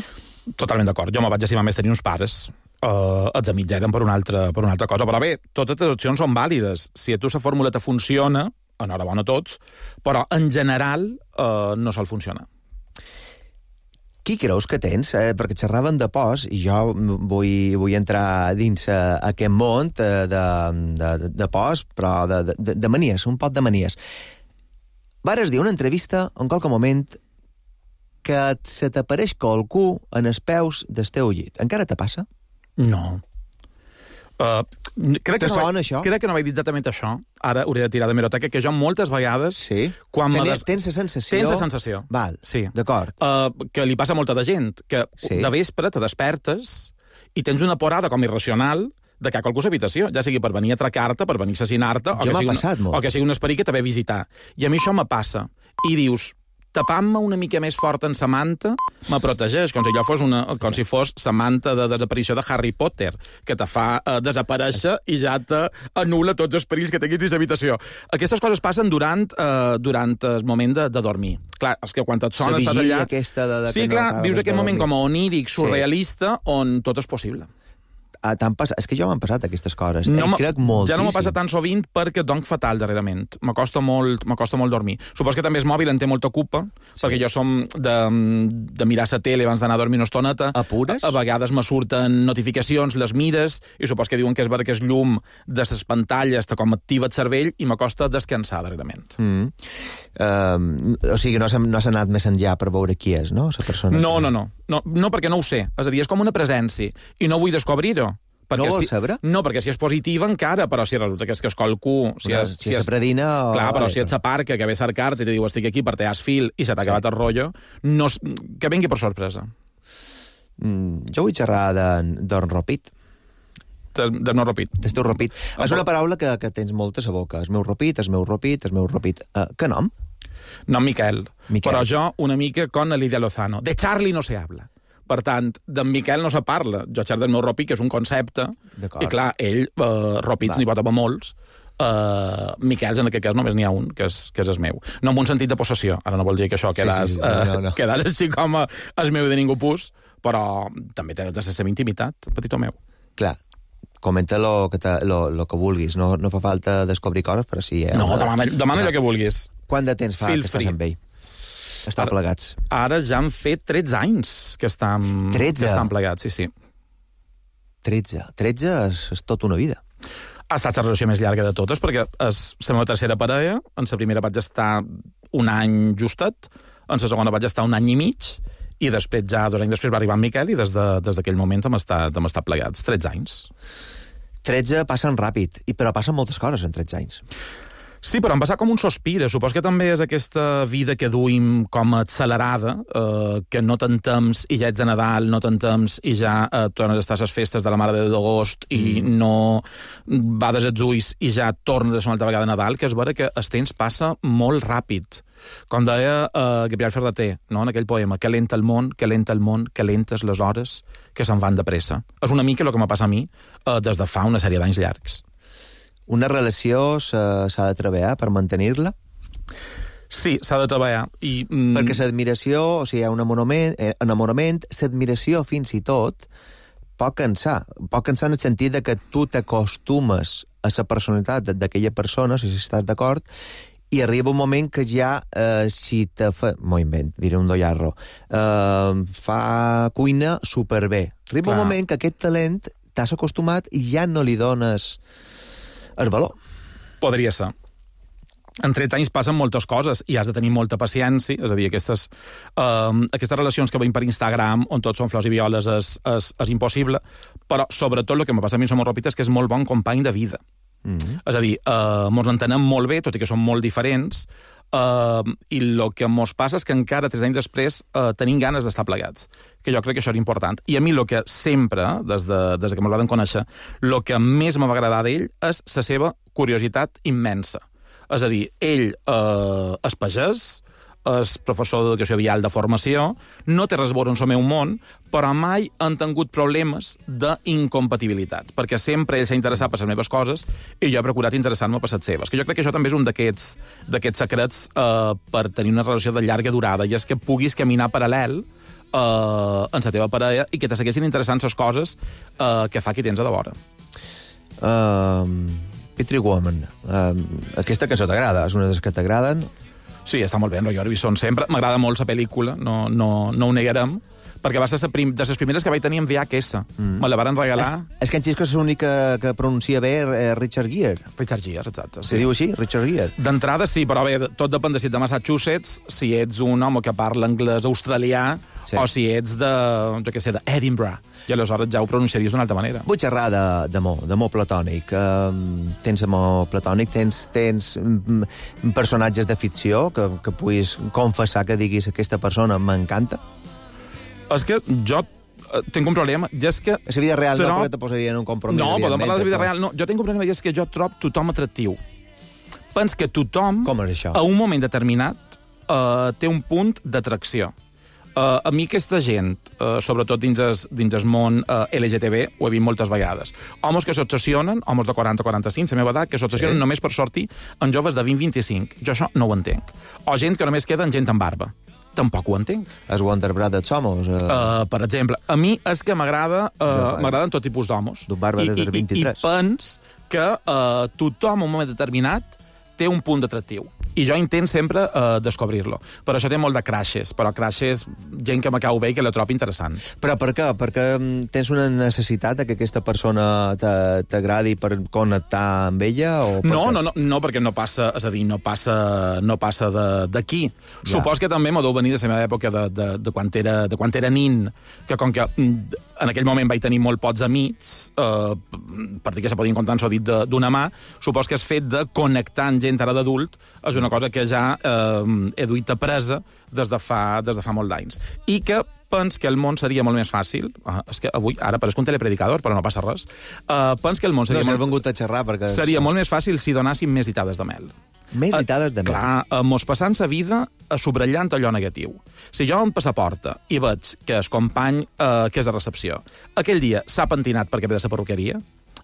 Totalment d'acord. Jo me vaig estimar més tenir uns pares. Uh, els amics eren per una, altra, per una altra cosa. Però bé, totes les opcions són vàlides. Si a tu la fórmula te funciona, enhorabona a tots, però en general uh, no sol funcionar. Qui creus que tens? Eh, perquè xerraven de pors, i jo vull, vull entrar dins uh, aquest món de, de, de, de pors, però de, de, de manies, un pot de manies. Vares dir una entrevista en qualque moment que se t'apareix qualcú en els peus del teu llit. Encara te passa? No. Uh, crec Te que no sona, vaig, això? Crec que no vaig dir exactament això. Ara hauré de tirar de meroteca, que jo moltes vegades... Sí? Quan Tens, des... tens la sensació... Tens la sensació. Val, sí. D'acord. Uh, que li passa a molta de gent, que Sí. de vespre te despertes i tens una porada com irracional de que hi ha qualcú a l'habitació, ja sigui per venir a atracar-te, per venir a assassinar-te, o, Jo que m'ha sigui passat una, molt. o que sigui un esperit que te ve a visitar. I a mi això me passa. I dius, tapant-me una mica més fort en sa manta, me protegeix, com si allò fos una, com si fos sa manta de desaparició de Harry Potter, que te fa uh, desaparèixer i ja te anul·la tots els perills que tinguis dins l'habitació. Aquestes coses passen durant, uh, durant el moment de, de dormir. Clar, és que quan et sona La estàs vigília allà... aquesta de, de sí, que no clar, acabes vius de aquest moment dormir. com a oníric, surrealista, sí. On tot és possible. Ah, t'han passat... És que jo m'han passat aquestes coses. No I crec moltíssim. ja no m'ho passa tan sovint perquè dorm fatal darrerament. M'acosta molt, m'acosta molt dormir. Supos que també és mòbil, en té molta culpa, sí. Perquè jo som de, de mirar la tele abans d'anar a dormir una estoneta. Apures? A, a vegades me surten notificacions, les mires, i supos que diuen que és perquè és llum de les pantalles, te com activa el cervell, i m'acosta descansar darrerament. Mm. Um, o sigui, no s'ha no anat més enllà per veure qui és, no? La persona No, que... no, no, no. No, perquè no ho sé. És a dir, és com una presència, i no vull descobrir-ho. Perquè No vols si, saber? No, perquè si és positiva encara, però si resulta que és que és qualcú... Si Una, és, si és predina o... Clar, però si ets a parca, que ve a cercar-te i te diu estic aquí per tear fil i se t'ha Sí. acabat el rotllo, no, es- que vengui per sorpresa. Mm, jo vull xerrar d'enropit. De, de no repit. Del teu ropit. És una paraula que, que tens molta a boca. El meu ropit, el meu ropit, el meu ropit. Uh, que nom? No, Miquel. Miquel. Però jo una mica con Lidia Lozano. De Charlie no se habla. Per tant, d'en Miquel no se parla. Jo xerro del meu ropit, que és un concepte, D'acord. i clar, ell, uh, ropits n'hi pot haver molts, uh, Miquels en aquest cas només n'hi ha un, que és, que és el meu. No en un sentit de possessió, ara no vol dir que això quedàs, sí, sí. No, no, no. uh, quedàs així com a, el meu de ningú pus, però també té la seva intimitat, petitó meu. Clar, comenta lo que, te, lo, lo que vulguis. No, no fa falta descobrir coses, però sí... Eh? No, Una- demana, demana Una- allò que vulguis. Quant de temps fa Feel que estàs free. amb ell? Estan Ara- plegats. Ara ja han fet tretze anys que estan, tretze? que estan plegats, sí, sí. tretze. tretze és, és tota una vida. Ha estat la relació més llarga de totes, perquè és la meva tercera parella, en la primera vaig estar un any justet, en la segona vaig estar un any i mig, i després ja, dos anys després va arribar en Miquel, i des de- des d'aquell moment hem estat, hem estat plegats. tretze anys. tretze passen ràpid, i però passen moltes coses en tretze anys. Sí, però em passa com un sospir. Supos que també és aquesta vida que duim com accelerada, eh, que no te'n temps i ja ets de Nadal, no te'n temps i ja eh, tornes a estar a les festes de la Mare de Déu d'agost i mm. no bades els ulls i ja tornes una altra vegada a Nadal, que és vera que el temps passa molt ràpid. Com deia eh, Gabriel Ferrater, no?, en aquell poema, que lenta el món, que lenta el món, que lentes les hores que se'n van de pressa. És una mica el que me passa a mi eh, des de fa una sèrie d'anys llargs. Una relació s'ha s'ha de treballar per mantenir-la? Sí, s'ha de treballar. I, mm, Perquè l'admiració, o sigui, hi ha un enamorament, eh, enamorament l'admiració fins i tot pot cansar. Pot cansar en el sentit de que tu t'acostumes a la personalitat d'aquella persona, si estàs d'acord, i arriba un moment que ja, eh, si te fa... M'ho invent, diré un dollarro. Eh, fa cuina superbé. Arriba Clar. un moment que aquest talent t'has acostumat i ja no li dones el valor. Podria ser. En tretze anys passen moltes coses i has de tenir molta paciència, és a dir, aquestes, um, aquestes relacions que veiem per Instagram, on tots són flors i violes, és, és, és impossible, però sobretot el que me passa a mi amb Som Ropit és que és molt bon company de vida. Mm -hmm. És a dir, uh, mos entenem molt bé, tot i que som molt diferents, uh, i el que mos passa és que encara tres anys després uh, tenim ganes d'estar plegats, que jo crec que això era important. I a mi el que sempre, des de, des de que mos vam conèixer, el que més me va agradar d'ell és la seva curiositat immensa. És a dir, ell eh, és pagès, és professor d'educació vial de formació, no té res a veure amb el meu món, però mai han tingut problemes d'incompatibilitat, perquè sempre ell s'ha interessat per les meves coses i jo he procurat interessar-me per les seves. Que jo crec que això també és un d'aquests d'aquests secrets eh, per tenir una relació de llarga durada, i és que puguis caminar paral·lel uh, en la teva parella i que te segueixin interessant les coses uh, que fa qui tens a de vora. Uh, Pretty Woman. Uh, aquesta cançó t'agrada? És una de les que t'agraden? Sí, està molt bé, en Roy Orbison sempre. M'agrada molt la pel·lícula, no, no, no ho negarem, perquè va ser prim, de les primeres que vaig tenir en V H S. Mm. Me la van regalar... És, és que en Xisco és l'únic que, que pronuncia bé eh, Richard Gere. Richard Gere, exacte. Sí. Se diu així, Richard Gere? D'entrada sí, però bé, tot depèn de si ets de Massachusetts, si ets un home que parla anglès australià, sí. O si ets de, jo què sé, d'Edinburgh. I aleshores ja ho pronunciaries d'una altra manera. Vull xerrar d'amor, d'amor platònic. Um, tens amor platònic, tens, tens mm, personatges de ficció que, que puguis confessar que diguis aquesta persona m'encanta? És que jo tinc un problema, i és que... A la vida real trob... no, perquè te posaria en un compromís. No, podem parlar de la vida real. No, jo tinc un problema, i és que jo trob tothom atractiu. Pens que tothom, Com és això? a un moment determinat, uh, té un punt d'atracció. Uh, a mi aquesta gent, uh, sobretot dins el, dins el món uh, L G T B, ho he vist moltes vegades. Homes que s'obsessionen, homes de quaranta a quaranta-cinc, la meva edat, que s'obsessionen sí. només per sortir en joves de vint a vint-i-cinc. Jo això no ho entenc. O gent que només queda en gent amb barba. Tampoc ho entenc. Els Wonder Brothers Somos? Uh... Uh, per exemple, a mi és que m'agrada uh, m'agraden tot tipus d'homes. D'un barba des del vint-i-tres. I, i pens que uh, tothom, en un moment determinat, té un punt d'atractiu. I jo intent sempre uh, descobrir-lo. Però això té molt de crashes, però crashes, gent que m'acabo bé i que la trobo interessant. Però per què? Perquè tens una necessitat de que aquesta persona t'agradi per connectar amb ella? O no, no, no, no, perquè no passa, és a dir, no passa, no passa d'aquí. Ja. Supos que també m'ho deu venir de la meva època de, de, de, quan era, de quan era nin, que com que en aquell moment vaig tenir molt pocs amics, eh, per dir que se podien comptar en so dit d'una mà, supos que és fet de connectar amb gent ara d'adult, és una cosa que ja eh, he duit a presa des de fa, des de fa molt d'anys. I que pens que el món seria molt més fàcil, uh, és que avui, ara pareix un telepredicador, però no passa res, uh, pens que el món seria, no, molt, vengut a xerrar perquè... seria molt més fàcil si donàssim més ditades de mel. Més ditades de mel? Uh, clar, uh, mos passant la vida a subratllant allò negatiu. Si jo em passaporta i veig que el company uh, que és a recepció aquell dia s'ha pentinat perquè ve de la perruqueria,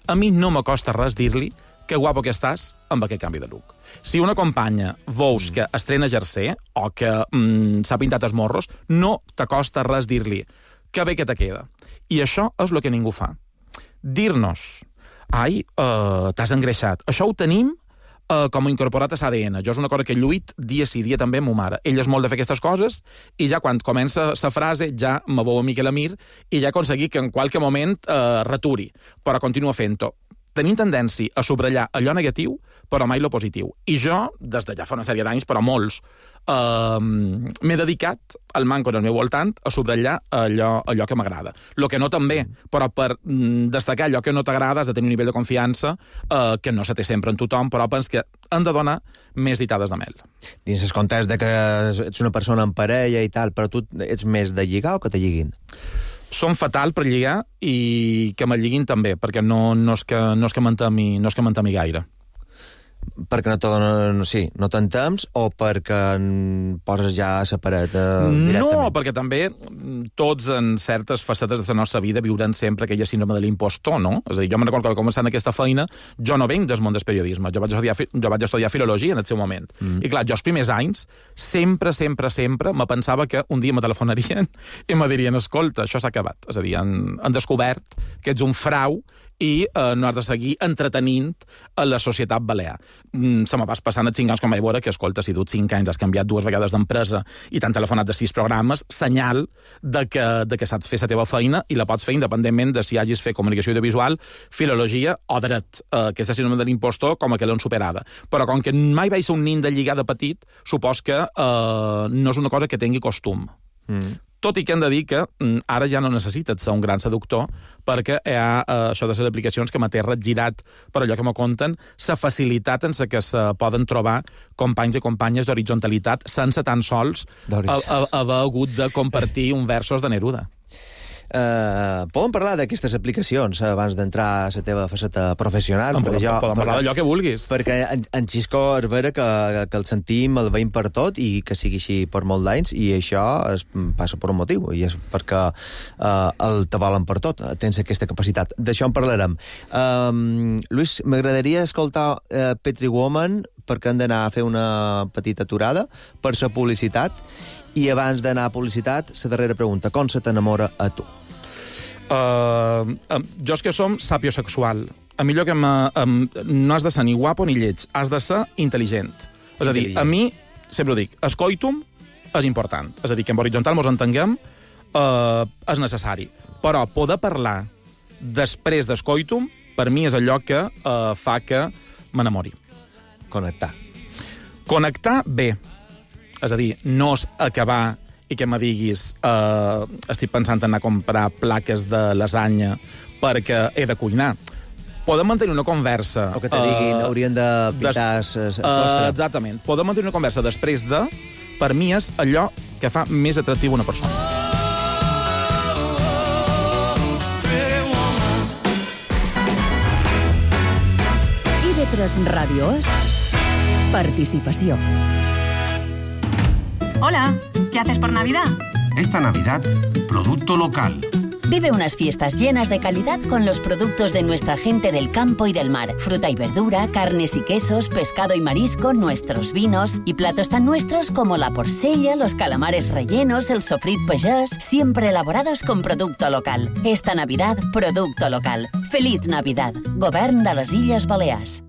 a mi no m'acosta res dir-li que guapo que estàs amb aquest canvi de look. Si una companya veus que estrena jersei o que mm, s'ha pintat els morros, no t'acosta res dir-li que bé que te queda. I això és el que ningú fa. Dir-nos, ai, uh, t'has engreixat. Això ho tenim uh, com a incorporat a l'A D N. Jo és una cosa que lluit dia sí, dia també amb ma mare. Ella és molt de fer aquestes coses i ja quan comença la frase ja me veu a mi que la mir i ja aconseguir que en qualque moment uh, returi, però continua fent-ho. Tenim tendència a subratllar allò negatiu, però mai lo positiu. I jo, des de ja fa una sèrie d'anys, però molts, eh, m'he dedicat al manco del meu voltant a subratllar allò, allò que m'agrada. Lo que no també, però per mm, destacar allò que no t'agrada has de tenir un nivell de confiança eh, que no se té sempre en tothom, però pens que han de donar més ditades de mel. Dins el context de que ets una persona en parella i tal, però tu ets més de lligar o que te lliguin? Som fatal per lligar i que me lliguin també, perquè no, no és que, no és que m'entemi no és que m'entemi gaire. Perquè no te donen, sí, no t'entems o perquè poses ja a la paret eh, directament? No, perquè també tots en certes facetes de la nostra vida viuran sempre aquella síndrome de l'impostor, no? És a dir, jo me'n recordo que començant aquesta feina jo no venc del món del periodisme, jo vaig estudiar, jo vaig estudiar filologia en el seu moment. Mm. I clar, jo els primers anys sempre, sempre, sempre me pensava que un dia me telefonarien i me dirien, escolta, això s'ha acabat. És a dir, han, han descobert que ets un frau i eh, no has de seguir entretenint a la societat balear. Mm, se me vas passant els cinc anys com vaig veure que, escolta, si tu cinc anys has canviat dues vegades d'empresa i t'han telefonat de sis programes, senyal de que, de que saps fer la teva feina i la pots fer independentment de si hagis fet comunicació audiovisual, filologia o dret, eh, que és la síndrome de l'impostor com a que l'han superada. Però com que mai vaig ser un nin de lligar de petit, supos que eh, no és una cosa que tingui costum. Mm. Tot i que hem de dir que mm, ara ja no necessites ser un gran seductor perquè hi ha eh, això de les aplicacions que m'ha girat per allò que me conten, la facilitat en la que se poden trobar companys i companyes d'horitzontalitat sense tan sols a, a, haver hagut de compartir un versos de Neruda. Uh, podem parlar d'aquestes aplicacions abans d'entrar a la teva faceta professional? No, podem, jo, podem parlar d'allò que vulguis. Perquè en, en Xisco és vera que, que el sentim, el veiem per tot i que sigui així per molt d'anys i això es passa per un motiu i és perquè uh, el te volen per tot, tens aquesta capacitat. D'això en parlarem. Um, Lluís, m'agradaria escoltar uh, Pretty Woman perquè hem d'anar a fer una petita aturada per la publicitat, i abans d'anar a publicitat, la darrera pregunta, com se t'enamora a tu? Uh, jo és que som sapiosexual. A mi allò que me, um, no has de ser ni guapo ni lleig, has de ser intel·ligent. És a dir, a mi, sempre ho dic, escoitum és important. És a dir, que en horitzontal mos entenguem uh, és necessari. Però poder parlar després d'escoitum, per mi és allò que uh, fa que m'enamori. Connectar. Connectar bé. És a dir, no és acabar i que me diguis uh, estic pensant en anar a comprar plaques de lasanya perquè he de cuinar. Podem mantenir una conversa... O que te diguin, uh, haurien de pintar des... el sostre. Uh, exactament. Podem mantenir una conversa després de... Per mi és allò que fa més atractiu una persona. I V tres Ràdio és participació. Hola, ¿qué haces por Navidad? Esta Navidad, producto local. Vive unas fiestas llenas de calidad con los productos de nuestra gente del campo y del mar. Fruta y verdura, carnes y quesos, pescado y marisco, nuestros vinos y platos tan nuestros como la porcella, los calamares rellenos, el sofrit pagès, siempre elaborados con producto local. Esta Navidad, producto local. Feliz Navidad. Govern de les Illes Balears.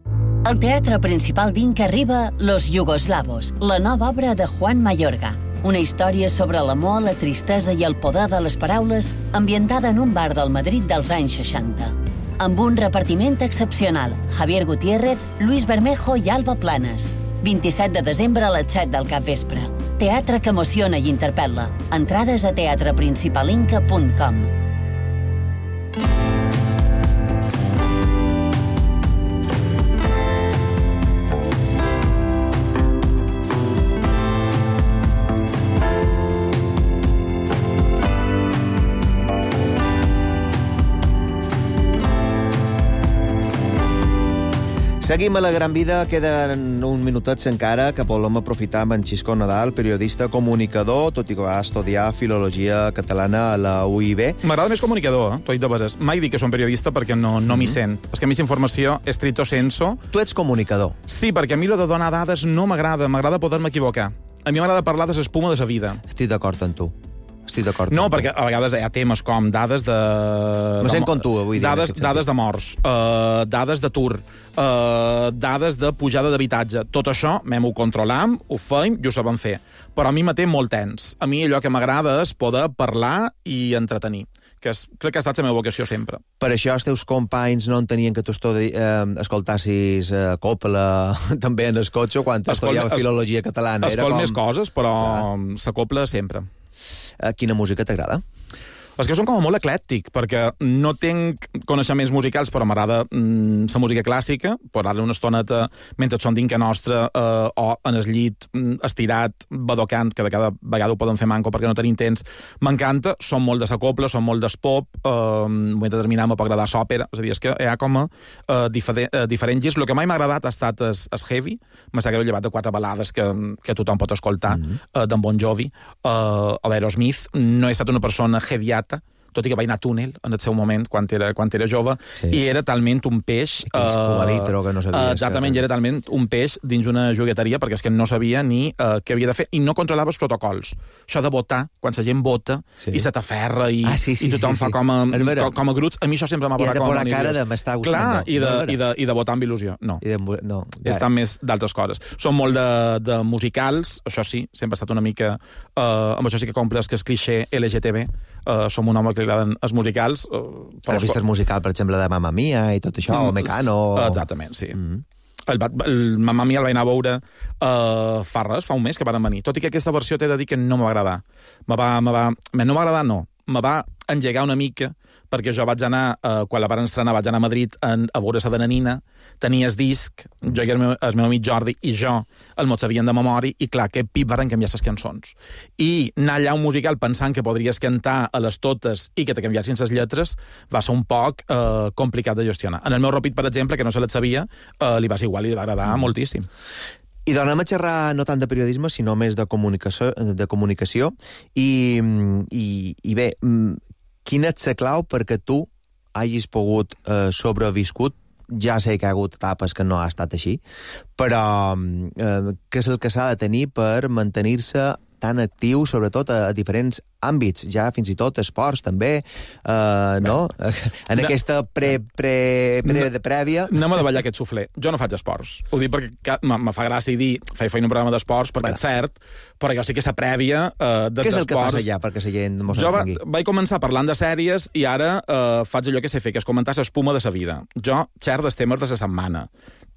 Al Teatre Principal d'Inca arriba Los Yugoslavos, la nova obra de Juan Mayorga. Una història sobre l'amor, la tristesa i el poder de les paraules ambientada en un bar del Madrid dels anys seixanta. Amb un repartiment excepcional, Javier Gutiérrez, Luis Bermejo i Alba Planes. vint-i-set de desembre a les set del capvespre. Teatre que emociona i interpel·la. Entrades a teatre principal inca punt com. Seguim a la Gran Vida, queden un minutets encara que volem aprofitar amb en Xisco Nadal, periodista, comunicador, tot i que va estudiar Filologia Catalana a la U I B. M'agrada més comunicador, eh? T'ho he dit de veres. Mai dic que som periodista perquè no, no m'hi sent. És que a mi informació és stricto senso. Tu ets comunicador. Sí, perquè a mi lo de donar dades no m'agrada, m'agrada poder-me equivocar. A mi m'agrada parlar de l'espuma de la vida. Estic d'acord amb tu. Estic d'acord. No, perquè a vegades hi ha temes com dades de... Me sent com tu, avui dia. Dades, dades de morts, uh, dades d'atur, uh, dades de pujada d'habitatge. Tot això m'hem-ho controlam, ho feim i ho sabem fer. Però a mi me té molt tens. A mi allò que m'agrada és poder parlar i entretenir, que és, crec que ha estat la meva vocació sempre. Per això els teus companys no entenien que tu estudi, eh, escoltassis eh, Coppola també en el cotxe quan estudiaves Filologia Catalana. Escolt com... més coses, però s'acopla sempre. Quina música t'agrada? És que som com molt eclèctic, perquè no tinc coneixements musicals, però m'agrada mm, la música clàssica, posar-li una estoneta mentre som dinca nostra eh, o en el llit mm, estirat, badocant, que de cada vegada ho podem fer manco perquè no tenim temps. M'encanta, som molt de la copla, som molt del pop, eh, en un moment determinat m'ha agradar l'òpera, és a dir, és que hi ha com a eh, diferent, eh, diferents girs. El que mai m'ha agradat ha estat el, el heavy, m'ha sabut llevat de quatre balades que, que tothom pot escoltar, mm -hmm. eh, d'en Bon Jovi, eh, o d'Aerosmith. No he estat una persona heaviata, tot i que vaig anar a túnel en el seu moment, quan era, quan era jove, sí. I era talment un peix... Uh, litro, que no sabies. Exactament, que... era talment un peix dins una jugueteria, perquè és que no sabia ni uh, què havia de fer, i no controlava els protocols. Això de votar, quan la gent vota, sí. I se t'aferra, i, ah, sí, sí, i tothom sí, sí. fa com a, com, com a gruts, a mi això sempre m'ha posat com a... I de posar cara de m'està gustant. Clar, i de, no, i, de, i de votar amb il·lusió. No. I de, no ja. Estan més d'altres coses. Som molt de, de musicals, això sí, sempre ha estat una mica... Uh, amb això sí que compres que és clixé L G T B, uh, som un home que li agraden els musicals. Uh, Però vist el musical, per exemple, de Mamma Mia i tot això, mm, o Mecano... Exactament, sí. Mm. El, el Mamma Mia el vaig anar a veure uh, fa res, fa un mes que van venir. Tot i que aquesta versió t'he de dir que no m'ha agradar. Me va, me va, no m'ha agradat, no. Me va engegar una mica, perquè jo vaig anar, eh, quan la van estrenar, vaig anar a Madrid en, a veure la de Nanina, tenia el disc, jo i el meu, el meu amic Jordi i jo el mos sabien de memòria, i clar, que pip varen canviar les cançons. I anar allà a un musical pensant que podries cantar a les totes i que te canviassin les lletres va ser un poc eh, complicat de gestionar. En el meu Ropit, per exemple, que no se les sabia, eh, li va ser igual i li va agradar mm. moltíssim. I donem a xerrar no tant de periodisme, sinó més de comunicació, de comunicació. I, i, i bé, quina és la clau perquè tu hagis pogut eh, sobreviscut Ja sé que hi ha hagut etapes que no ha estat així, però eh, què és el que s'ha de tenir per mantenir-se tan actiu, sobretot a, a diferents àmbits, ja fins i tot esports també, eh, no? En no. aquesta pre, pre, pre, de prèvia... Anem a davallar aquest suflé. Jo no faig esports. Ho dic perquè me fa gràcia dir fer feina un programa d'esports, perquè bueno. És cert, però jo sí que aquesta prèvia eh, dels esports... Què és el que fas allà, perquè la gent mos jo entengui? Jo vaig començar parlant de sèries i ara eh, faig allò que sé fer, que és comentar l'espuma de la vida. Jo xerro dels temes de la setmana.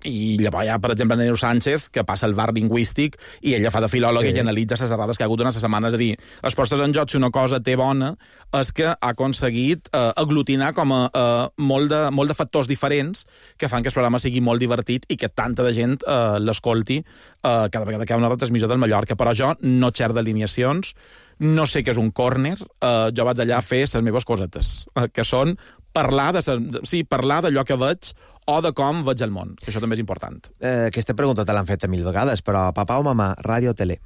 I llavors hi ha, per exemple, Nero Sánchez, que passa el bar lingüístic i ella fa de filòloga sí. I analitza les errades que ha hagut durant les setmanes. És a dir, es postes en joc si una cosa té bona és que ha aconseguit eh, aglutinar com a eh, molt, de, molt de factors diferents que fan que el programa sigui molt divertit i que tanta de gent eh, l'escolti eh, cada vegada que hi ha una retransmissió del Mallorca. Però jo no xer d'alineacions, no sé què és un córner, eh, jo vaig allà a fer les meves cosetes, eh, que són parlar de, sí, parlar d'allò que veig o de com veig el món, que això també és important. Eh, aquesta pregunta te l'han fet mil vegades, però papà o mamà, ràdio o tele?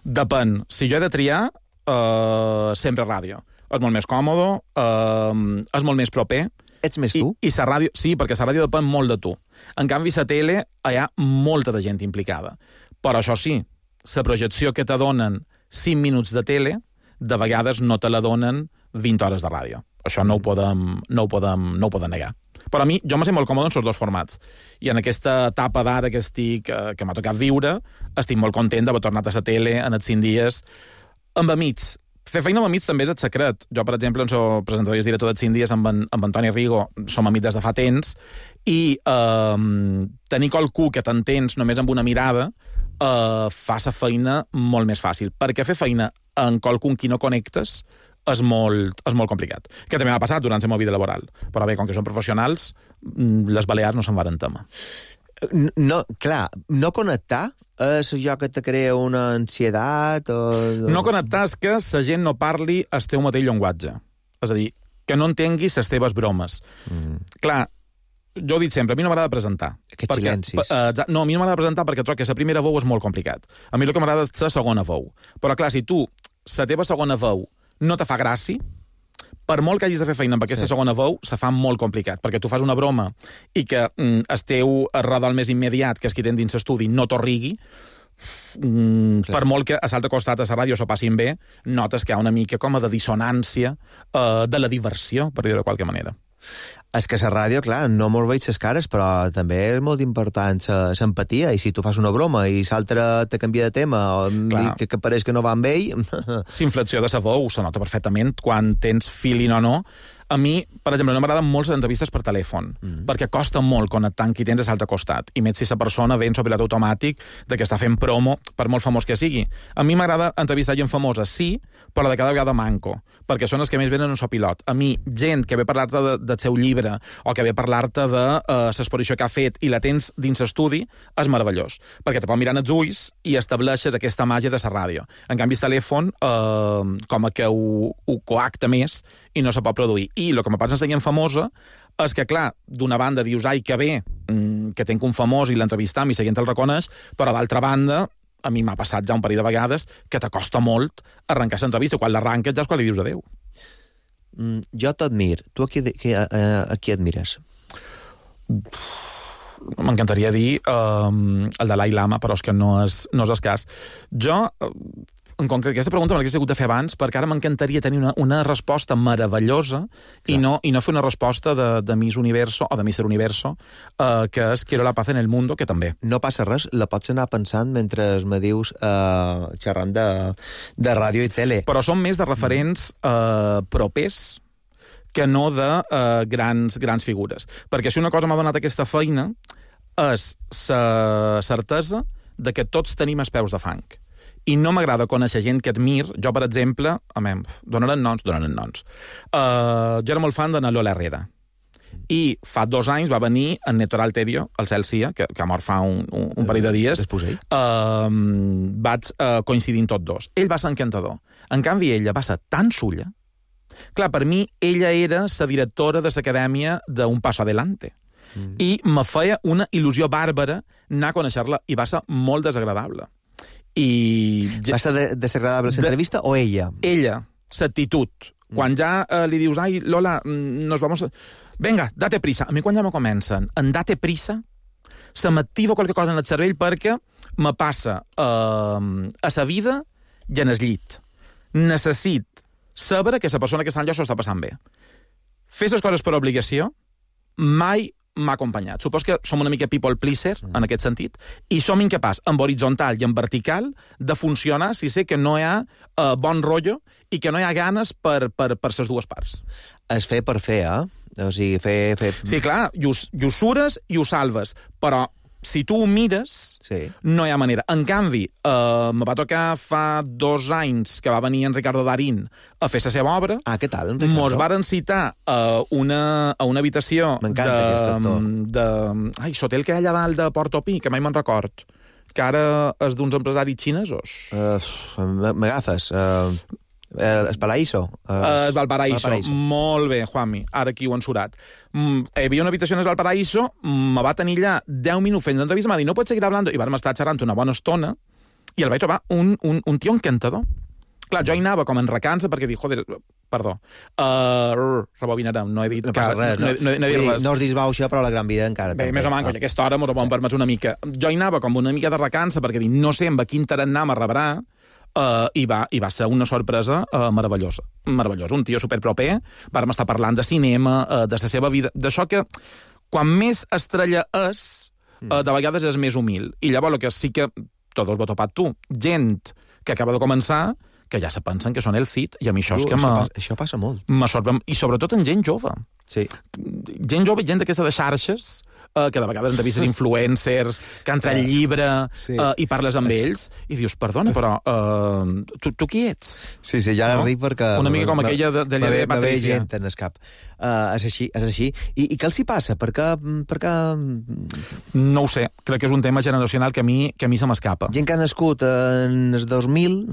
Depèn. Si jo he de triar, eh, sempre ràdio. És molt més còmode, eh, és molt més proper. Ets més tu? I, i la ràdio, sí, perquè la ràdio depèn molt de tu. En canvi, la tele, hi ha molta de gent implicada. Però això sí, la projecció que te donen cinc minuts de tele, de vegades no te la donen vint hores de ràdio. Això no ho podem, no ho podem, no ho podem negar. Però a mi, jo me sent molt còmode en els dos formats. I en aquesta etapa d'ara que estic, que m'ha tocat viure, estic molt content d'haver tornat a la tele en els cinc dies. Amb amics. Fer feina amb amics també és el secret. Jo, per exemple, soc presentador i director dels cinc dies amb en, amb Antoni Rigo, som amics des de fa temps, i eh, tenir qualcú que t'entens només amb una mirada eh, fa la feina molt més fàcil. Perquè fer feina en qualcú qui no connectes és molt, és molt complicat. Que també m'ha passat durant la meva vida laboral. Però bé, com que són professionals, les Balears no se'n varen tema. No, clar, no connectar és allò que te crea una ansietat o... No connectar és que la gent no parli el teu mateix llenguatge. És a dir, que no entenguis les teves bromes. Mm. Clar, jo ho dic sempre, a mi no m'agrada presentar. Aquests perquè, silencis. Uh, no, a mi no m'agrada presentar perquè trobo que la primera veu és molt complicat. A mi el que m'agrada és la segona veu. Però clar, si tu, la teva segona veu no te fa gràcia, per molt que hagis de fer feina amb aquesta sí. segona veu, se fa molt complicat, perquè tu fas una broma i que mm, el teu redol més immediat, que és qui tens dins l'estudi, no t'ho rigui, mm, per molt que a l'altre costat a la ràdio s'ho passin bé, notes que hi ha una mica com a de dissonància eh, de la diversió, per dir-ho de qualque manera. És que la ràdio, clar, no mos veig les cares, però també és molt important l'empatia, i si tu fas una broma i l'altre te canvia de tema o que, que pareix que no va amb ell... S'inflexió de sa veu se nota perfectament quan tens feeling o no. A mi, per exemple, no m'agraden molt les entrevistes per telèfon, mm. perquè costa molt connectar amb qui tens a l'altre costat, i més si la persona ve en pilot automàtic de que està fent promo, per molt famós que sigui. A mi m'agrada entrevistar gent famosa, sí, però de cada vegada manco, perquè són els que més venen en pilot. A mi, gent que ve a parlar-te de, del seu llibre, o que ve a parlar-te de uh, l'exposició que ha fet i la tens dins l'estudi, és meravellós, perquè te pot mirar en els ulls i estableixes aquesta màgia de la ràdio. En canvi, el telèfon, uh, com a que ho, ho coacta més i no se pot produir. I el que me passa amb gent famosa és que, clar, d'una banda dius, ai, que bé, que tenc un famós i l'entrevistam i la gent el reconeix, però d'altra banda, a mi m'ha passat ja un parell de vegades que t'acosta molt arrencar l'entrevista. Quan l'arranques ja és quan li dius adéu. Mm, jo t'admir. Tu a qui, a, a qui admires? M'encantaria dir um, el Dalai Lama, però és que no és, no és el cas. Jo... En concret, aquesta pregunta me l'hagués hagut de fer abans, perquè ara m'encantaria tenir una, una resposta meravellosa i no, i no fer una resposta de, de Miss Universo o de Mister Universo, eh, que és Quiero la paz en el mundo, que també. No passa res, la pots anar pensant mentre me dius eh, xerrant de, de ràdio i tele. Però són més de referents eh, propers que no de eh, grans, grans figures. Perquè si una cosa m'ha donat aquesta feina és la certesa de que tots tenim els peus de fang. I no m'agrada conèixer gent que admir. Jo, per exemple, a mi, donaran noms, donaran noms. Uh, jo era molt fan de na Lola Herrera. I fa dos anys va venir en Neto Alterio, el Celsia, que, que ha mort fa un, un, un parell de dies. Després ell? Uh, vaig uh, coincidint tots dos. Ell va ser encantador. En canvi, ella va ser tan sulla. Clar, per mi, ella era la directora de l'acadèmia d'Un Paso Adelante. Mm. I me feia una il·lusió bàrbara anar a conèixer-la, i va ser molt desagradable. I... Va ser desagradable l'entrevista o ella? Ella, l'actitud. Quan ja eh, li dius, ai, Lola, nos vamos... Vinga, date prisa. A mi quan ja me comencen en date prisa, se m'activa qualque cosa en el cervell perquè me passa eh, a sa vida i en el llit. Necessit saber que la persona que està allà s'ho està passant bé. Fer les coses per obligació mai m'ha acompanyat. Supos que som una mica people pleaser, en aquest sentit, i som incapaç, en horitzontal i en vertical, de funcionar si sé que no hi ha uh, bon rotllo i que no hi ha ganes per, per, per les dues parts. Es fer per fer, eh? O sigui, fer... fer... Sí, clar, i ho, i ho sures i ho salves, però si tu ho mires, sí. no hi ha manera. En canvi, eh, me va tocar fa dos anys que va venir en Ricardo Darín a fer la seva obra. Ah, què tal, en Ricardo? Mos varen citar a una, a una habitació M'encanta de, aquest actor. de... Ai, l'hotel que hi ha allà dalt de Portopí, que mai me'n record, que ara és d'uns empresaris xinesos. Uh, M'agafes. Uh, el Paraíso. Uh, Uh, Valparaíso. Valparaíso. Molt bé, Juanmi. Ara aquí ho han surat. Mm, hi havia una habitació en el Valparaíso, me va tenir allà deu minuts fent l'entrevista, m'ha dit, no pots seguir hablando, i vam estar xerrant una bona estona, i el vaig trobar un, un, un tio encantador. Clar, jo hi anava com en recança, perquè dic, joder, perdó, uh, rebobinarem, no he dit... No passa que, res, no, no, no, no he dit dir, res. no us disbau això, però la gran vida encara Bé, també. més o menys, ah. aquesta hora m'ho sí. permets una mica. Jo hi anava com una mica de recança, perquè dic, no sé amb a quin tarannà me rebrà, Uh, i, va, i va ser una sorpresa uh, meravellosa. Meravellosa. Un tio superproper, vàrem estar parlant de cinema, uh, de la seva vida, d'això que quan més estrella és, uh, de vegades és més humil. I llavors el que sí que, tot ho has topat tu, gent que acaba de començar, que ja se pensen que són el fit, i a mi això Uh, és que això, me, passa, això passa molt. me sorprèn. I sobretot en gent jove. Sí. Gent jove, gent d'aquesta de xarxes, Uh, que de vegades entrevistes influencers, que entra el llibre sí. uh, i parles amb ells, i dius, perdona, però uh, tu, tu qui ets? Sí, sí, ja no? ric perquè... Una mica com aquella de, de llei de Patricia. gent en el cap. Uh, és així, és així. I, I què els hi passa? Per què, per què... No ho sé, crec que és un tema generacional que a mi, que a mi se m'escapa. Gent que ha nascut en el dos mil...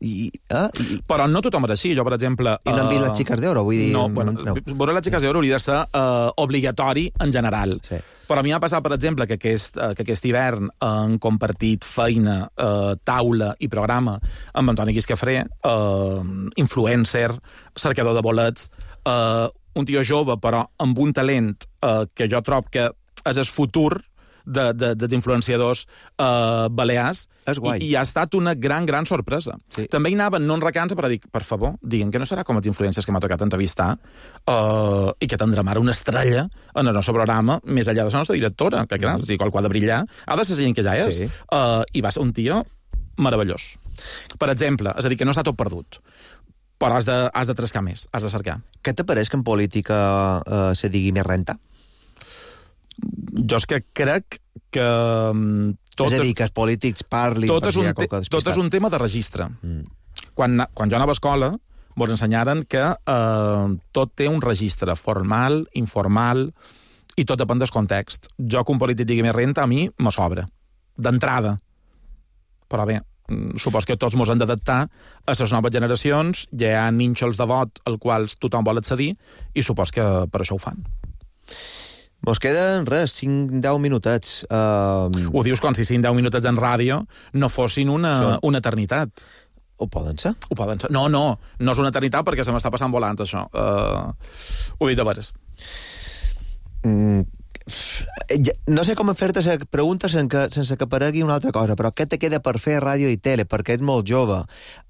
I, eh? I, però no tothom era així. Jo, per exemple... I no han vist uh, les xiques d'oro, vull dir... No, bueno, no. veure les xiques d'oro hauria de ser uh, obligatori en general. Sí. Però a mi m'ha passat, per exemple, que aquest, que aquest hivern han compartit feina, eh, taula i programa amb Antoni Guiscafré, eh, influencer, cercador de bolets, eh, un tio jove, però amb un talent eh, que jo trob que és el futur de, de, dels influenciadors eh, balears, és guai. I, i ha estat una gran, gran sorpresa. Sí. També hi anaven, no en recança, però dic, per favor, diguin que no serà com els influencers que m'ha tocat entrevistar uh, i que tindrem ara una estrella en el nostre programa, més enllà de la nostra directora, que clar, mm. si qualcú ha de brillar, ha de ser gent que ja és. Sí. Uh, I va ser un tio meravellós. Per exemple, és a dir, que no està tot perdut, però has de, has de trascar més, has de cercar. Què t'apareix que en política uh, se digui més renta? Jo és que crec que... Tot és a dir, que els polítics parlin tot per és, si hi un ha qualque despistat. tot és un tema de registre. Mm. Quan, quan jo anava a escola, ens ensenyaren que eh, tot té un registre formal, informal, i tot depèn del context. Jo, que un polític digui més renta, a mi me sobra. D'entrada. Però bé, supos que tots ens hem d'adaptar a les noves generacions, ja hi ha nínxols de vot als quals tothom vol accedir, i supos que per això ho fan. Mos queden, res, cinc deu minutets. Uh... Ho dius com si cinc deu minutets en ràdio no fossin una, Són... una eternitat. Ho poden ser? Ho poden ser. No, no, no és una eternitat perquè se m'està passant volant, això. Uh... Ho he dit de veres. Mm... No sé com fer-te la pregunta sense que, sense que aparegui una altra cosa, però què te queda per fer a ràdio i tele? Perquè ets molt jove.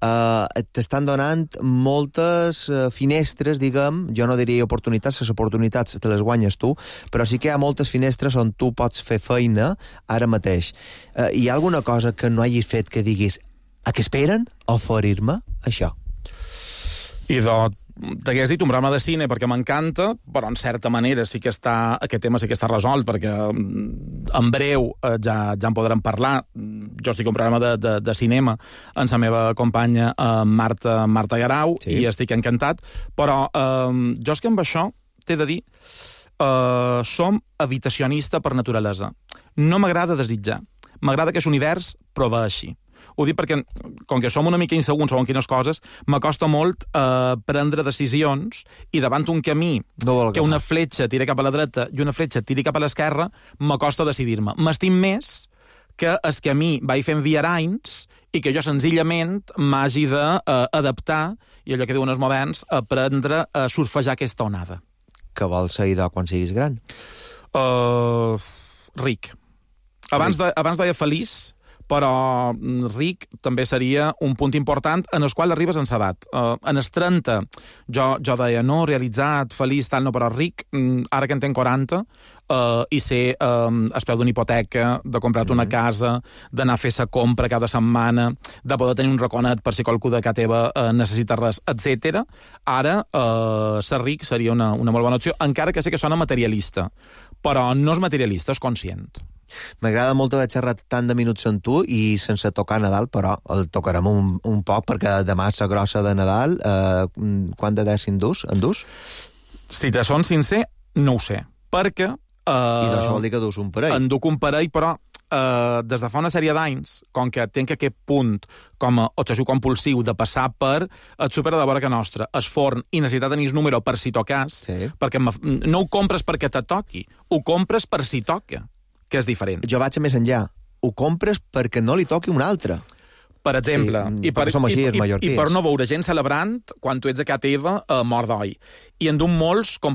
Uh, T'estan donant moltes uh, finestres, diguem, jo no diria oportunitats, les oportunitats te les guanyes tu, però sí que hi ha moltes finestres on tu pots fer feina ara mateix. Uh, hi ha alguna cosa que no hagis fet que diguis a què esperen? Oferir-me això? I de t'hagués dit un programa de cine perquè m'encanta, però en certa manera sí que està, aquest tema sí que està resolt, perquè en breu eh, ja, ja en podrem parlar. Jo estic en un programa de, de, de cinema amb la meva companya eh, Marta, Marta Garau, sí. I estic encantat, però eh, jo és que amb això t'he de dir eh, som habitacionista per naturalesa. No m'agrada desitjar. M'agrada que l'univers proveeixi. Ho dic perquè, com que som una mica insegurs segons quines coses, m'acosta molt eh, prendre decisions i davant un camí no que una fletxa tira cap a la dreta i una fletxa tiri cap a l'esquerra, m'acosta decidir-me. M'estim més que el camí vaig fent viaranys i que jo senzillament m'hagi d'adaptar, eh, i allò que diuen els moderns, aprendre a surfejar aquesta onada. que vols ser idò quan siguis gran? Uh, ric. Abans, de, abans deia feliç, però ric també seria un punt important en el qual arribes en l'edat. Uh, en els trenta jo, jo deia, no, realitzat, feliç, tal, no, però ric, ara que en tenc quaranta, uh, i sé um, el preu d'una hipoteca, de comprar-te mm. una casa, d'anar a fer sa compra cada setmana, de poder tenir un raconet per si qualcú de casa teva uh, necessita res, etcètera. Ara, uh, ser ric seria una, una molt bona opció, encara que sé que sona materialista, però no és materialista, és conscient. M'agrada molt haver xerrat tant de minuts amb tu i sense tocar Nadal, però el tocarem un, un poc perquè demà és la grossa de Nadal. Eh, quant de dècim dus? En dus? Si te són sincer, no ho sé. Perquè... Eh, I això vol dir que dus un parell. En duc un parell, però eh, des de fa una sèrie d'anys, com que tenc aquest punt com a obsessiu compulsiu de passar per el súper de vora que nostra, el forn, i necessitar tenir el número per si tocas, sí. Perquè no ho compres perquè te toqui, ho compres per si toca, que és diferent. Jo vaig a més enllà. Ho compres perquè no li toqui un altre. Per exemple. Sí, I, per, som així, i, i, mallorquins. I per no veure gent celebrant quan tu ets a casa teva eh, mort d'oi. I en d'un molts com